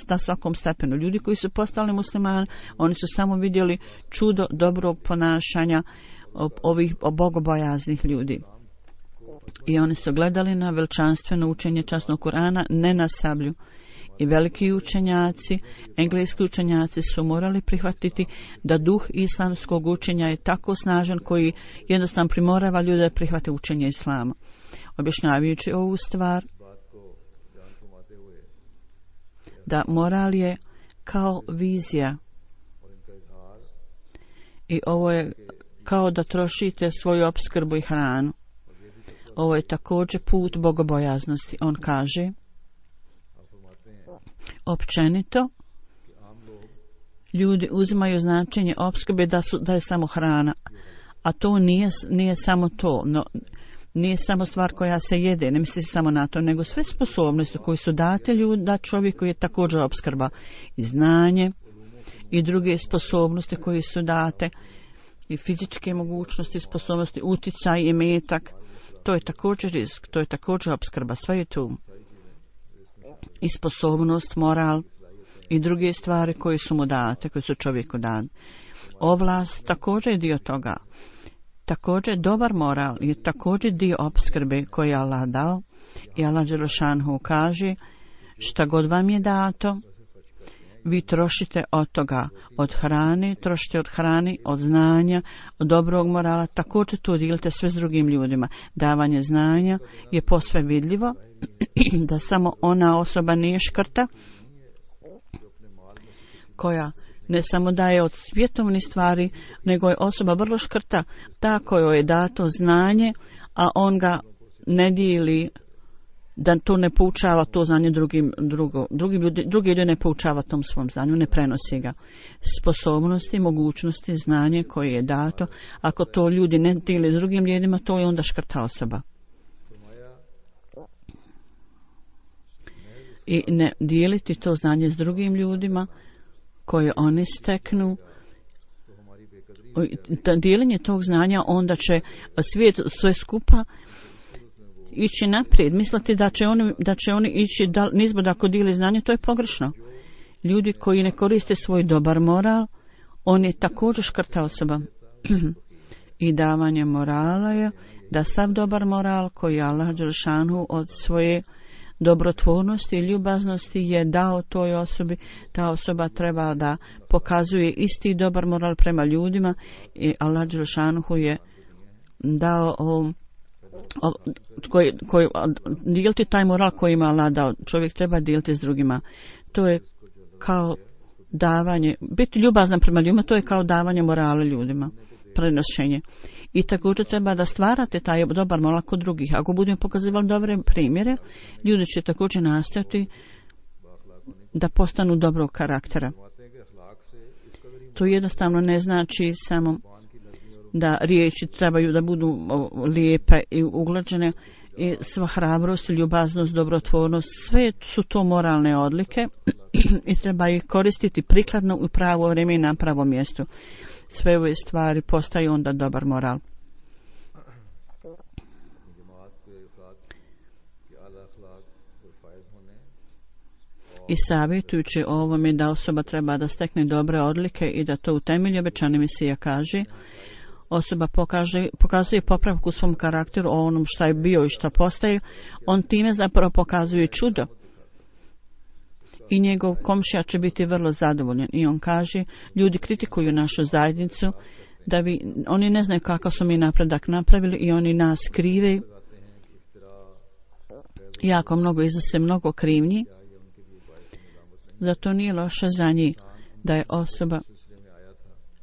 na svakom stepenu. Ljudi koji su postali muslimani, oni su samo vidjeli čudo dobrog ponašanja ovih bogobojaznih ljudi. I oni su gledali na veličanstveno učenje časnog Kur'ana, ne na sablju. I veliki učenjaci, engleski učenjaci su morali prihvatiti da duh islamskog učenja je tako snažan koji jednostavno primorava ljude da prihvate učenje islama. Objašnjavajući ovu stvar, da moral je kao vizija i ovo je kao da trošite svoju opskrbu i hranu. Ovo je također put bogobojaznosti. On kaže, općenito, ljudi uzimaju značenje opskrbe da je samo hrana, a to nije samo to, no, nije samo stvar koja se jede, ne misli se samo na to, nego sve sposobnosti koje su date da čovjeku je također opskrba i znanje i druge sposobnosti koje su date i fizičke mogućnosti, sposobnosti, uticaj i metak. To je također rizik, to je također opskrba, sve je tu. I sposobnost, moral i druge stvari koje su mu date, koje su čovjeku dane. Ovlast također je dio toga. Također dobar moral je također dio opskrbe koji je Allah dao. I Allah dželešanhu kaže, šta god vam je dato, vi trošite od toga, od hrane, trošite od hrane, od znanja, od dobrog morala, također to dijelite sve s drugim ljudima. Davanje znanja je posve vidljivo, da samo ona osoba nije škrta, koja ne samo daje od svjetovnih stvari, nego je osoba vrlo škrta, ta kojoj je dato znanje, a on ga ne dijeli, da to ne poučava to znanje drugi ljudi ne poučava tom svom znanju, ne prenosi ga. Sposobnosti, mogućnosti, znanje koje je dato, ako to ljudi ne dijeli s drugim ljudima, to je onda škrta osoba. I ne dijeliti to znanje s drugim ljudima koje oni steknu, dijeljenje tog znanja, onda će svijet sve skupa ići naprijed. Misliti da će oni ići nizbrod ako dijeli znanje, to je pogrešno. Ljudi koji ne koriste svoj dobar moral, on je također škrta osoba. I davanje morala je da sav dobar moral koji Allah dželešanu od svoje dobrotvornosti i ljubaznosti je dao toj osobi, ta osoba treba da pokazuje isti dobar moral prema ljudima i Allah dželešanu je dao dijeliti taj moral koji ima Allah dao. Čovjek treba dijeliti s drugima. To je kao davanje, biti ljubazan prema ljudima, to je kao davanje morala ljudima, prenošenje. I također treba da stvarate taj dobar moral kod drugih. Ako budemo pokazivali dobre primjere, ljudi će također nastojati da postanu dobrog karaktera. To jednostavno ne znači samo da riječi trebaju da budu lijepe i uglađene, i sva hrabrost, ljubaznost, dobrotvornost, sve su to moralne odlike i treba ih koristiti prikladno u pravo vrijeme i na pravom mjestu. Sve ove stvari postaju onda dobar moral. I savjetujući o ovome da osoba treba da stekne dobre odlike i da to utemelji, obećani Mesija kaže, osoba pokazuje popravku u svom karakteru o onom šta je bio i šta postaje, on time zapravo pokazuje čudo. I njegov komšija će biti vrlo zadovoljan. I on kaže, ljudi kritikuju našu zajednicu, oni ne znaju kakav su mi napredak napravili i oni nas krive. Jako mnogo iznose mnogo krivnji. Zato nije loše za njih da je osoba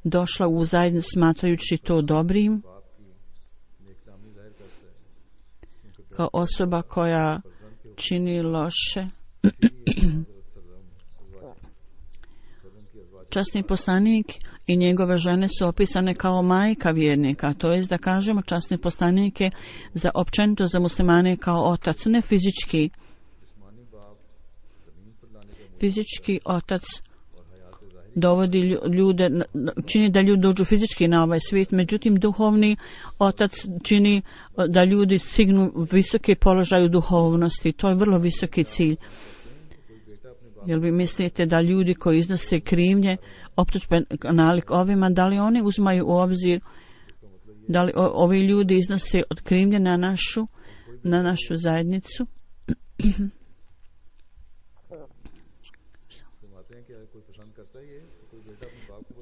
došla u zajednicu smatrajući to dobrim, kao osoba koja čini loše Časni poslanik i njegove žene su opisane kao majka vjernika, to jest da kažemo časni poslanik je za općenito za muslimane kao otac, ne fizički. Fizički otac dovodi ljude, čini da ljudi dođu fizički na ovaj svijet, međutim duhovni otac čini da ljudi stignu visoki položaj u duhovnosti. To je vrlo visoki cilj. Jel vi mislite da ljudi koji iznose krivnje, optužbe nalik ovima, da li oni uzmaju u obzir, da li ovi ljudi iznose od krivnje na našu zajednicu?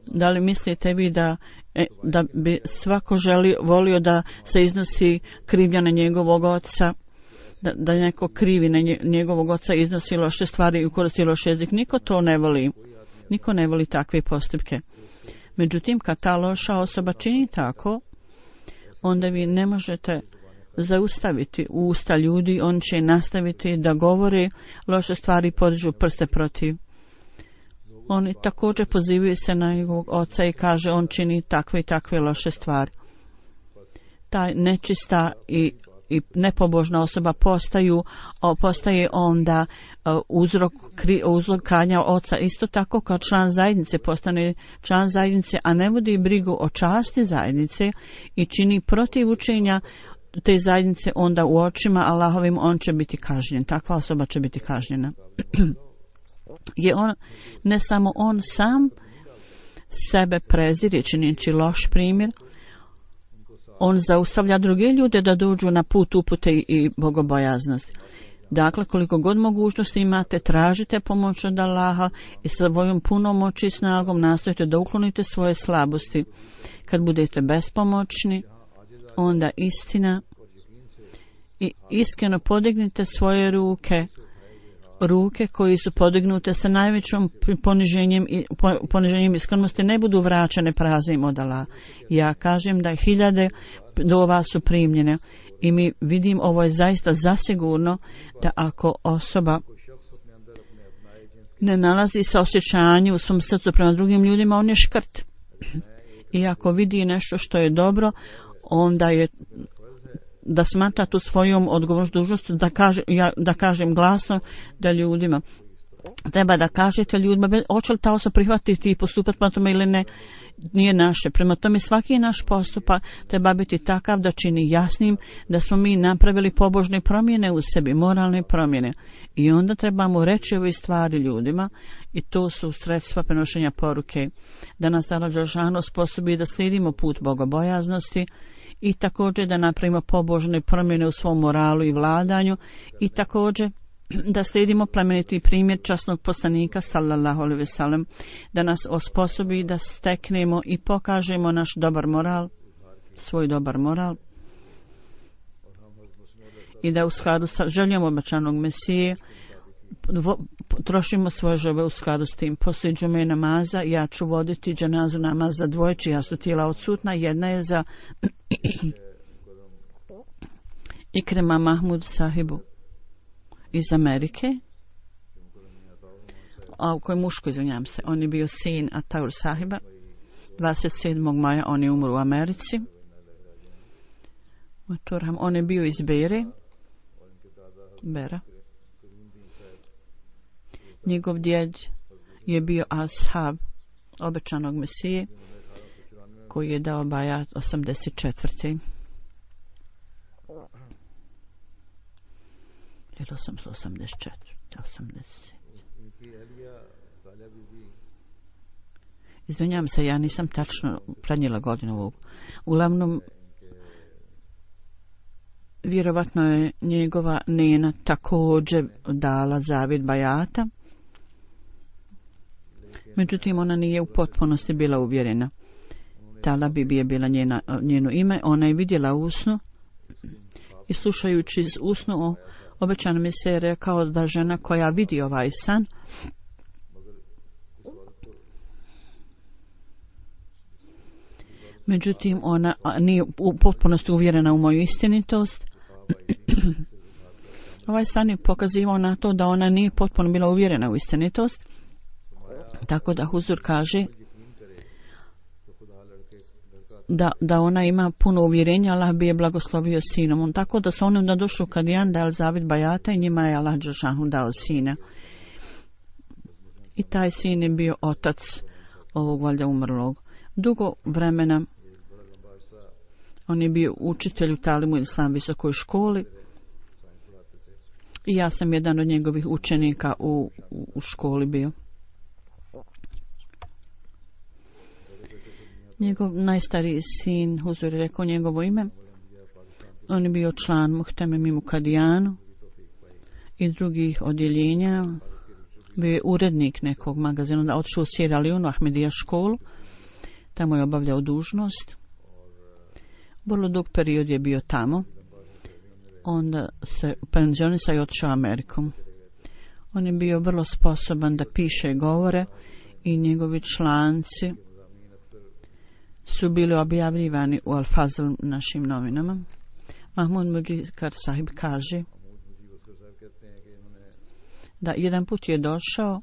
Da li mislite vi da bi svako volio da se iznosi krivnja na njegovog oca, da neko krivi na njegovog oca, iznosi loše stvari i koristi loš jezik? Niko to ne voli. Niko ne voli takve postupke. Međutim, kad ta loša osoba čini tako, onda vi ne možete zaustaviti usta ljudi, on će nastaviti da govori loše stvari i podižu prste protiv. Oni također pozivaju se na njegovog oca i kaže on čini takve i takve loše stvari. Ta nečista i nepobožna osoba postaje onda uzrok kanja oca, isto tako kao član zajednice postane član zajednice, a ne vodi brigu o časti zajednice i čini protiv učenja te zajednice, onda u očima Allahovim on će biti kažnjen. Takva osoba će biti kažnjena. Je on, ne samo on sam sebe prezire činjeći loš primjer, on zaustavlja druge ljude da dođu na put upute i bogobojaznosti. Dakle, koliko god mogućnosti imate, tražite pomoć od Allaha i svojom punom moći i snagom nastojite da uklonite svoje slabosti. Kad budete bespomoćni, onda istina i iskreno podignite svoje ruke koji su podignute sa najvećom poniženjem iskrenosti ne budu vraćane praznim od Allaha. Ja kažem da 1000 dova su primljene i mi vidim ovo je zaista zasigurno da ako osoba ne nalazi saosjećanje u svom srcu prema drugim ljudima, on je škrt. I ako vidi nešto što je dobro, onda je da smatra tu svojom odgovornost dužnost da kažem glasno da ljudima treba da kažete ljudima hoće li ta osoba prihvatiti i postupati prema tome ili ne, nije naše. Prema tome svaki naš postupak treba biti takav da čini jasnim da smo mi napravili pobožne promjene u sebi, moralne promjene, i onda trebamo reći ove stvari ljudima i to su sredstva prenošenja poruke da nas Allah dželešanu sposobi da slijedimo put bogobojaznosti i također da napravimo pobožne promjene u svom moralu i vladanju i također da slijedimo plemeniti primjer časnog poslanika sallallahu alejhi ve sellem, da nas osposobi da steknemo i pokažemo naš dobar moral, svoj dobar moral, i da u skladu sa željom obećanog Mesije trošimo svoje želje u skladu s tim. Poslije džume namaza ja ću voditi dženazu namaz za dvoje čija su tijela odsutna. Jedna je za Ikrema Mahmud sahibu iz Amerike, a koji muško, izvinjam se, on je bio sin Ataur sahiba. 27. maja on je umro u Americi. On je bio iz Bera. Njegov djed je bio ashab obećanog Mesije koji je dao bajat 84. Ili 884. 80. Izvinjam se, ja nisam tačno prenijela godinu ovog. Uglavnom, vjerovatno je njegova nena također dala zavjet bajata. Međutim, ona nije u potpunosti bila uvjerena. Tala Bibi je bila njeno ime. Ona je vidjela usnu i slušajući usnu o obećanom Mesiji rekao da žena koja vidi ovaj san međutim ona nije u potpunosti uvjerena u moju istinitost Ovaj san je pokazivao na to da ona nije potpuno bila uvjerena u istinitost, tako da Huzur kaže da ona ima puno uvjerenja, Allah bi je blagoslovio sinom. Tako da su oni onda došli u Kadijan, da je Zavid Bajata i njima je Allah Đelešanu dao sina. I taj sin je bio otac ovog valjda umrlog. Dugo vremena on je bio učitelj u Talimu Islam visokoj školi i ja sam jedan od njegovih učenika u školi bio. Njegov najstariji sin, Huzur je rekao njegovo ime, on je bio član Muhteme Mimu Kadijanu i drugih odjeljenja, bio je urednik nekog magazina, onda otišao u Sierra Leone, Ahmedija školu, tamo je obavljao dužnost. Vrlo dug period je bio tamo, onda se penzionisao i otišao Amerikom. On je bio vrlo sposoban da piše i govore i njegovi članci su bili objavljivani u Al-Fazl našim novinama. Mahmud Mujikar sahib kaže da jedan put je došao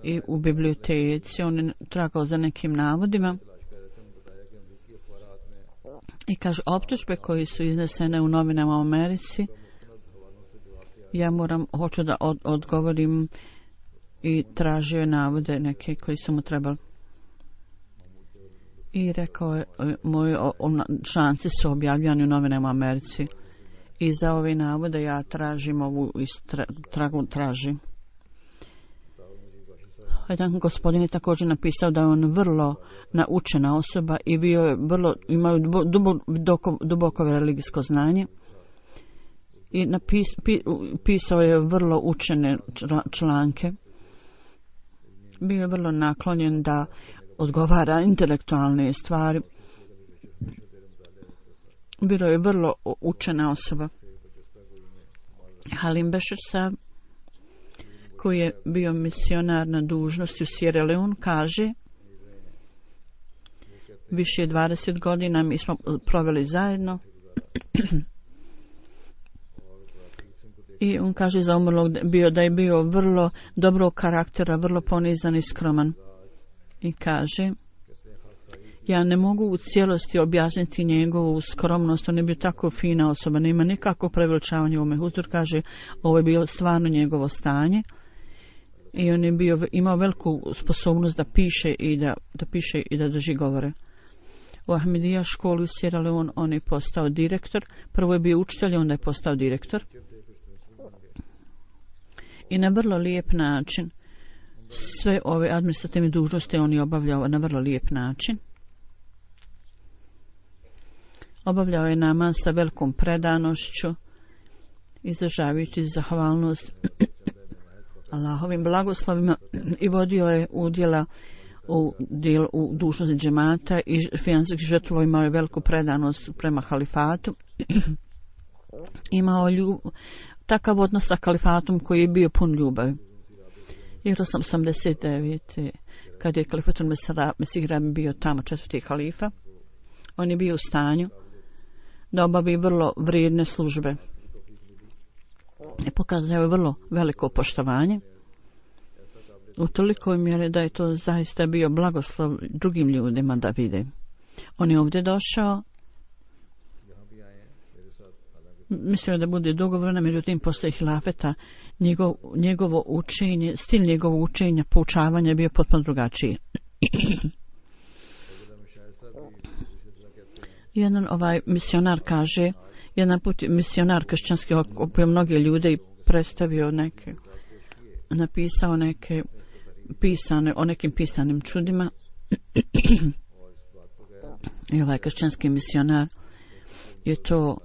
i u biblioteci on je tragao za nekim navodima i kaže optužbe koji su iznesene u novinama u Americi, ja hoću da odgovorim i tražio je navode neke koji su mu trebali. I rekao je, moji članci su objavljani u novinama u Americi i za ove navode ja tražim ovu tražim. Jedan gospodin je također napisao da je on vrlo naučena osoba i bio je imao duboko religijsko znanje i pisao je vrlo učene članke. Bio je vrlo naklonjen da odgovara intelektualne stvari. Bilo je vrlo učena osoba. Halim Bešir Sahib, koji je bio misionar na dužnosti u Sierra Leone, kaže više 20 godina mi smo proveli zajedno i on kaže za umrlog da je bio vrlo dobrog karaktera, vrlo ponizan i skroman. I kaže, ja ne mogu u cijelosti objasniti njegovu skromnost, on je bio tako fina osoba, nema nikakvo preveličavanje u ome. Huzur kaže, ovo je bilo stvarno njegovo stanje i on je imao veliku sposobnost da piše i da drži govore. U Ahmedija školi u Sierra Leone on je postao direktor, prvo je bio učitelj, onda je postao direktor i na vrlo lijep način sve ove administrativne dužnosti on je obavljao na vrlo lijep način. Obavljao je namaz sa velikom predanošću, izražavajući zahvalnost Allahovim blagoslovima i vodio je udjela u dužnosti džemata i finansijskih žrtva, imao je veliku predanost prema halifatu. Imao takav odnos sa kalifatom koji je bio pun ljubavi. 1989. kad je kalifatul Mesih Rabi bio tamo četvrti halifa, on je bio u stanju da obavi vrlo vrijedne službe i pokazao je vrlo veliko poštovanje u tolikoj mjeri da je to zaista bio blagoslov drugim ljudima da vide. On je ovdje došao, mislio da bude dugo vremena, međutim posle hilafeta njegovo učenje, stil njegovog učenja, poučavanja je bio potpuno drugačiji. Jedan misionar kaže, jedan put misionar kršćanski okupio mnoge ljude i predstavio napisao neke pisane, o nekim pisanim čudima. I ovaj kršćanski misionar je to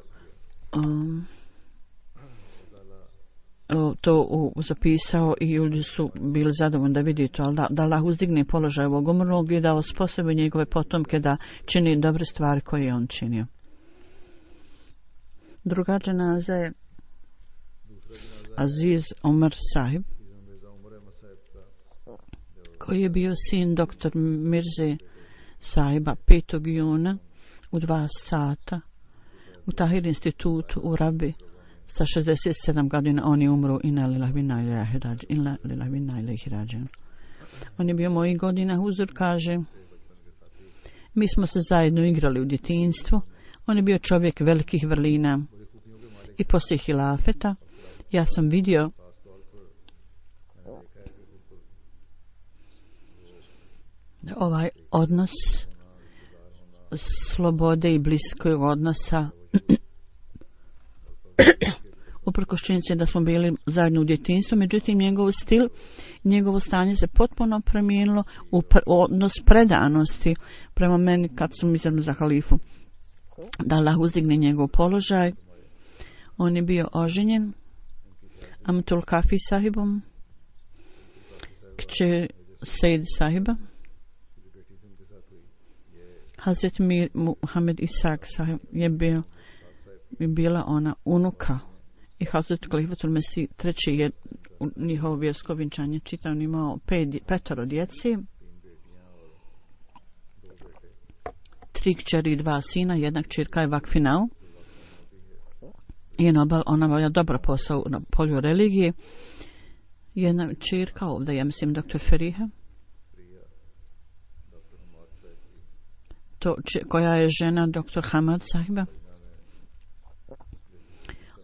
zapisao i ljudi su bili zadovoljni da vidi to, ali da Allah uzdigne položaj ovog umrlog i da osposobi njegove potomke da čini dobre stvari koje je on činio. Druga dženaza je Aziz Omar Sahib, koji je bio sin doktor Mirze Sahiba 5. juna u 2 sata u Tahir institutu u Rabi Sa 67 godina on je umro inna lillahi wa inna ilaihi rađiun. On je bio mojih godina, Huzur kaže. Mi smo se zajedno igrali u djetinjstvu. On je bio čovjek velikih vrlina. I poslije hilafeta ja sam vidio ovaj odnos slobode i bliskog odnosa uprkos činjenici da smo bili zajedno u djetinjstvu, međutim njegov stil, njegovo stanje se potpuno promijenilo u odnos predanosti prema meni kad sam izabran za halifu. Da Allah uzdigne njegov položaj. On je bio oženjen Amtul Kafi sahibom, kće Sejid sahiba. Hazret Mir Muhammed Isak sahib je bila ona unuka i Hazret Khalifatul Mesih treći je njihovo vjersko vjenčanje. Čitav on imao petoro djeci, 3 kćeri i 2 sina, jedna kćerka je vakfinao. Ona obavlja dobar posao na polju religije. Jedna kćerka ovdje, ja mislim dr. Feriha, koja je žena dr. Hamad sahiba.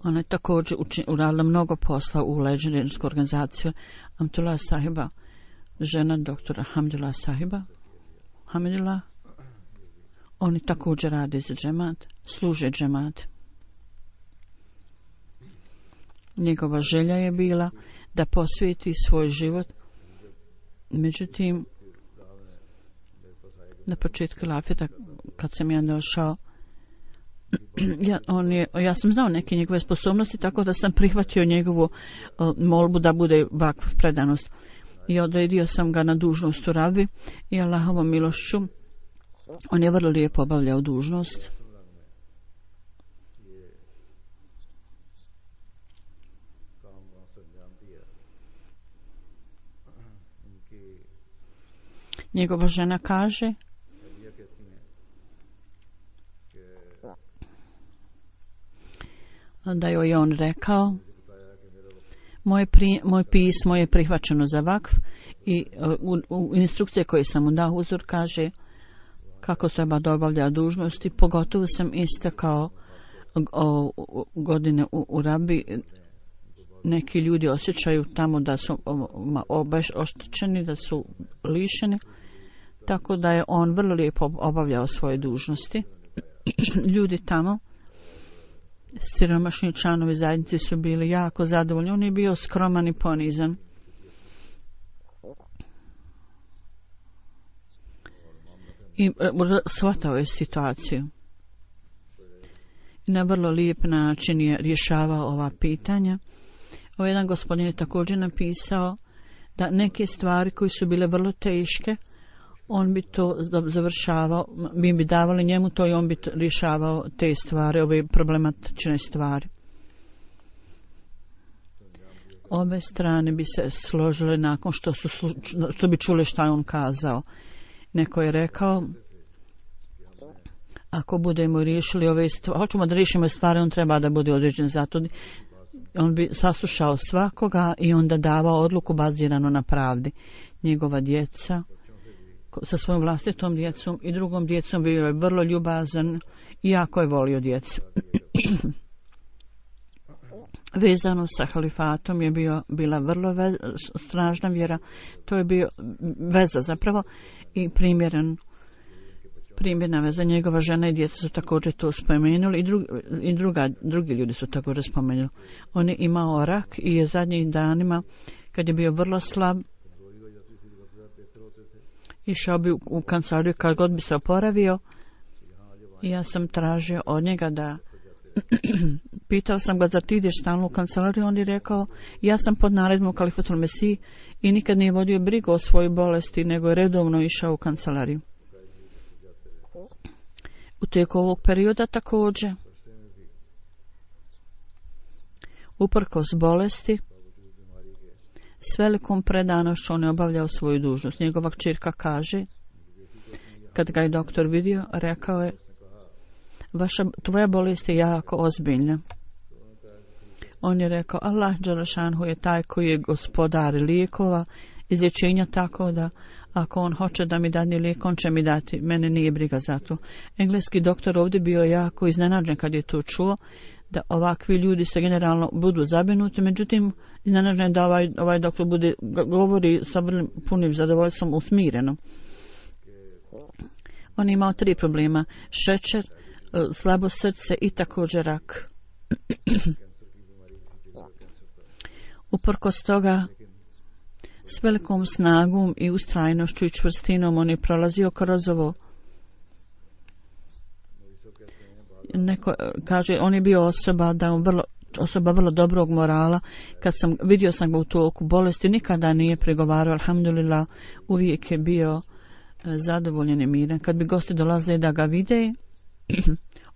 Ona je također uradila mnogo posla u leđersku organizaciju Amtullah sahiba, žena dr. Hamdullah sahiba. Hamdullah. Oni također rade za džemat, služe džemat. Njegova želja je bila da posvijeti svoj život. Međutim, na početku hilafeta, kad sam ja došao, ja sam znao neke njegove sposobnosti, tako da sam prihvatio njegovu molbu da bude vakf predanost. I odredio sam ga na dužnost u Rabi i Allahovom milošću on je vrlo lijepo obavljao dužnost. Njegova žena kaže da joj je on rekao moj pismo je prihvaćeno za vakf i u instrukcije koje sam mu dao Huzur kaže kako treba da obavlja dužnosti, pogotovo sam istakao godine u Rabi. Neki ljudi osjećaju tamo da su oštećeni, da su lišeni, tako da je on vrlo lijepo obavljao svoje dužnosti. Ljudi tamo, siromašni članovi zajednice su bili jako zadovoljni. On je bio skroman i ponizan. I shvatao je situaciju. I na vrlo lijep način je rješavao ova pitanja. Ovaj jedan gospodin je također napisao da neke stvari koje su bile vrlo teške, on bi to završavao, mi bi davali njemu to i on bi rješavao te stvari, ove problematične stvari. Obe strane bi se složile nakon što bi čuli šta je on kazao. Neko je rekao, ako budemo riješili ove stvari, hoćemo da riješimo stvari, on treba da bude određen zato. On bi saslušao svakoga i onda davao odluku bazirano na pravdi. Njegova djeca sa svojom vlastitom djecom i drugom djecom bio je vrlo ljubazan i jako je volio djecu. Vezano sa halifatom je bila vrlo snažna vjera. To je bio veza zapravo i primjerna veza. Njegova žena i djeca su također to spomenuli i drugi ljudi su također spomenuli. On je imao rak i je zadnjih danima, kad je bio vrlo slab, išao bi u kancelariju kad god bi se oporavio i ja sam tražio od njega da pitao sam ga, zar ti ideš stalno u kancelariju? On je rekao, ja sam pod naredbom Khalifatul Mesih i nikad nije vodio brigu o svojoj bolesti, nego je redovno išao u kancelariju. U tijeku ovog perioda također, uprkos bolesti, s velikom predanošću on je obavljao svoju dužnost. Njegova kćerka kaže, kad ga je doktor vidio, rekao je, tvoja bolest je jako ozbiljna. On je rekao, Allah dželešanhu je taj koji je gospodar lijekova, izlječenja, tako da ako on hoće da mi dadne lijek, on će mi dati, mene nije briga za to. Engleski doktor ovdje bio jako iznenađen kad je to čuo, da ovakvi ljudi se generalno budu zabrinuti, međutim iznenađen da ovaj doktor govori sa punim zadovoljstvom usmireno. On je imao 3 problema: šećer, slabo srce i također rak. Uprkos toga, s velikom snagom i ustrajnošću i čvrstinom on je prolazio kroz ovo. Neko kaže, on je bio osoba vrlo dobrog morala. Kad vidio sam ga u toku bolesti, nikada nije pregovarao, alhamdulillah, uvijek je bio zadovoljen i miran. Kad bi gosti dolazili da ga vide,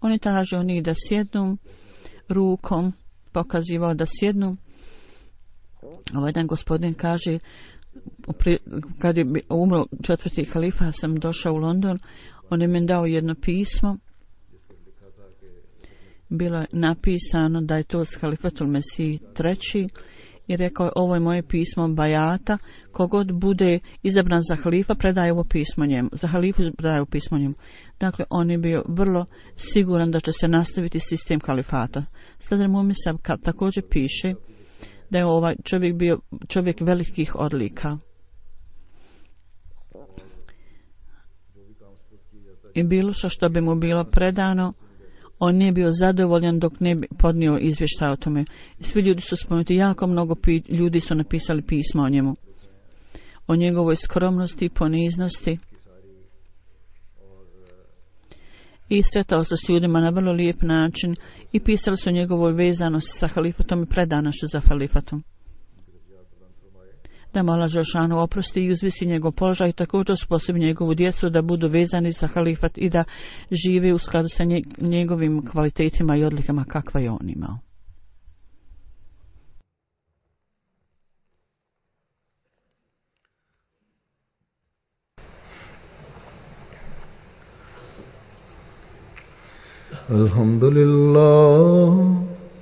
on je tražio njih da sjednu, rukom pokazivao da sjednu. Ovaj jedan gospodin kaže, kad je umro 4. halifa, ja sam došao u London, on je meni dao jedno pismo. Bilo je napisano da je to s halifatul Mesih III. I rekao je, ovo je moje pismo bajata, kogod bude izabran za halifa, predaje ovo pismo njemu. Za halifu predaje ovo pismo njemu. Dakle, on je bio vrlo siguran da će se nastaviti sistem halifata. Sadr Mumisa također piše da je ovaj čovjek bio čovjek velikih odlika. I bilo što bi mu bilo predano, on nije bio zadovoljan dok ne bi podnio izvještaj o tome. Svi ljudi su spomenuti, jako mnogo ljudi su napisali pisma o njemu. O njegovoj skromnosti i poniznosti. I sretao se s ljudima na vrlo lijep način i pisali su o njegovoj vezanosti sa halifatom i predanošću za halifatom. Da mu Allah dželešanu oprosti i uzvisi njegov položaj i također usposobi njegovu djecu da budu vezani za halifat i da žive u skladu sa njegovim kvalitetima i odlikama kakva je on imao.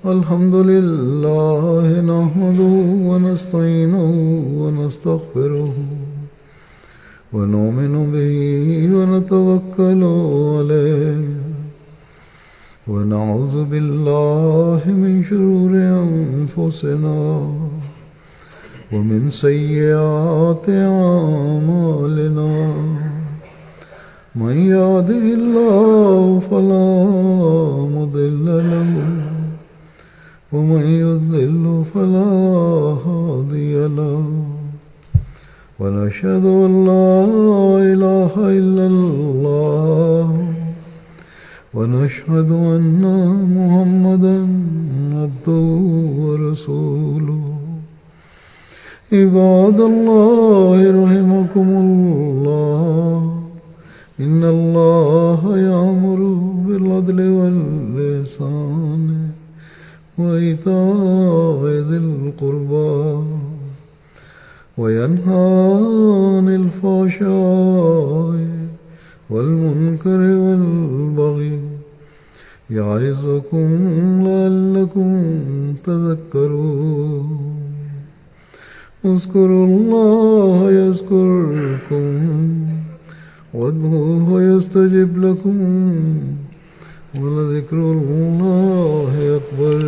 Alhamdulillah nahmaduhu wa nasta'inuhu wa nastaghfiruhu wa nu'minu bihi wa natawakkalu alayhi wa na'udhu billahi min shururi anfusina wa min sayyiati a'malina. من يهده الله فلا مضل له ومن يضلل فلا هادي له ونشهد أن لا إله إلا الله ونشهد أن محمدا عبده ورسوله عباد الله رحمكم الله إن الله يأمر بالعدل والإحسان وإيتاء ذي القربى وينهى عن الفحشاء والمنكر والبغي يعظكم لعلكم تذكرون اذكروا الله يذكركم وادعوه يستجب لكم ولذكر الله أكبر.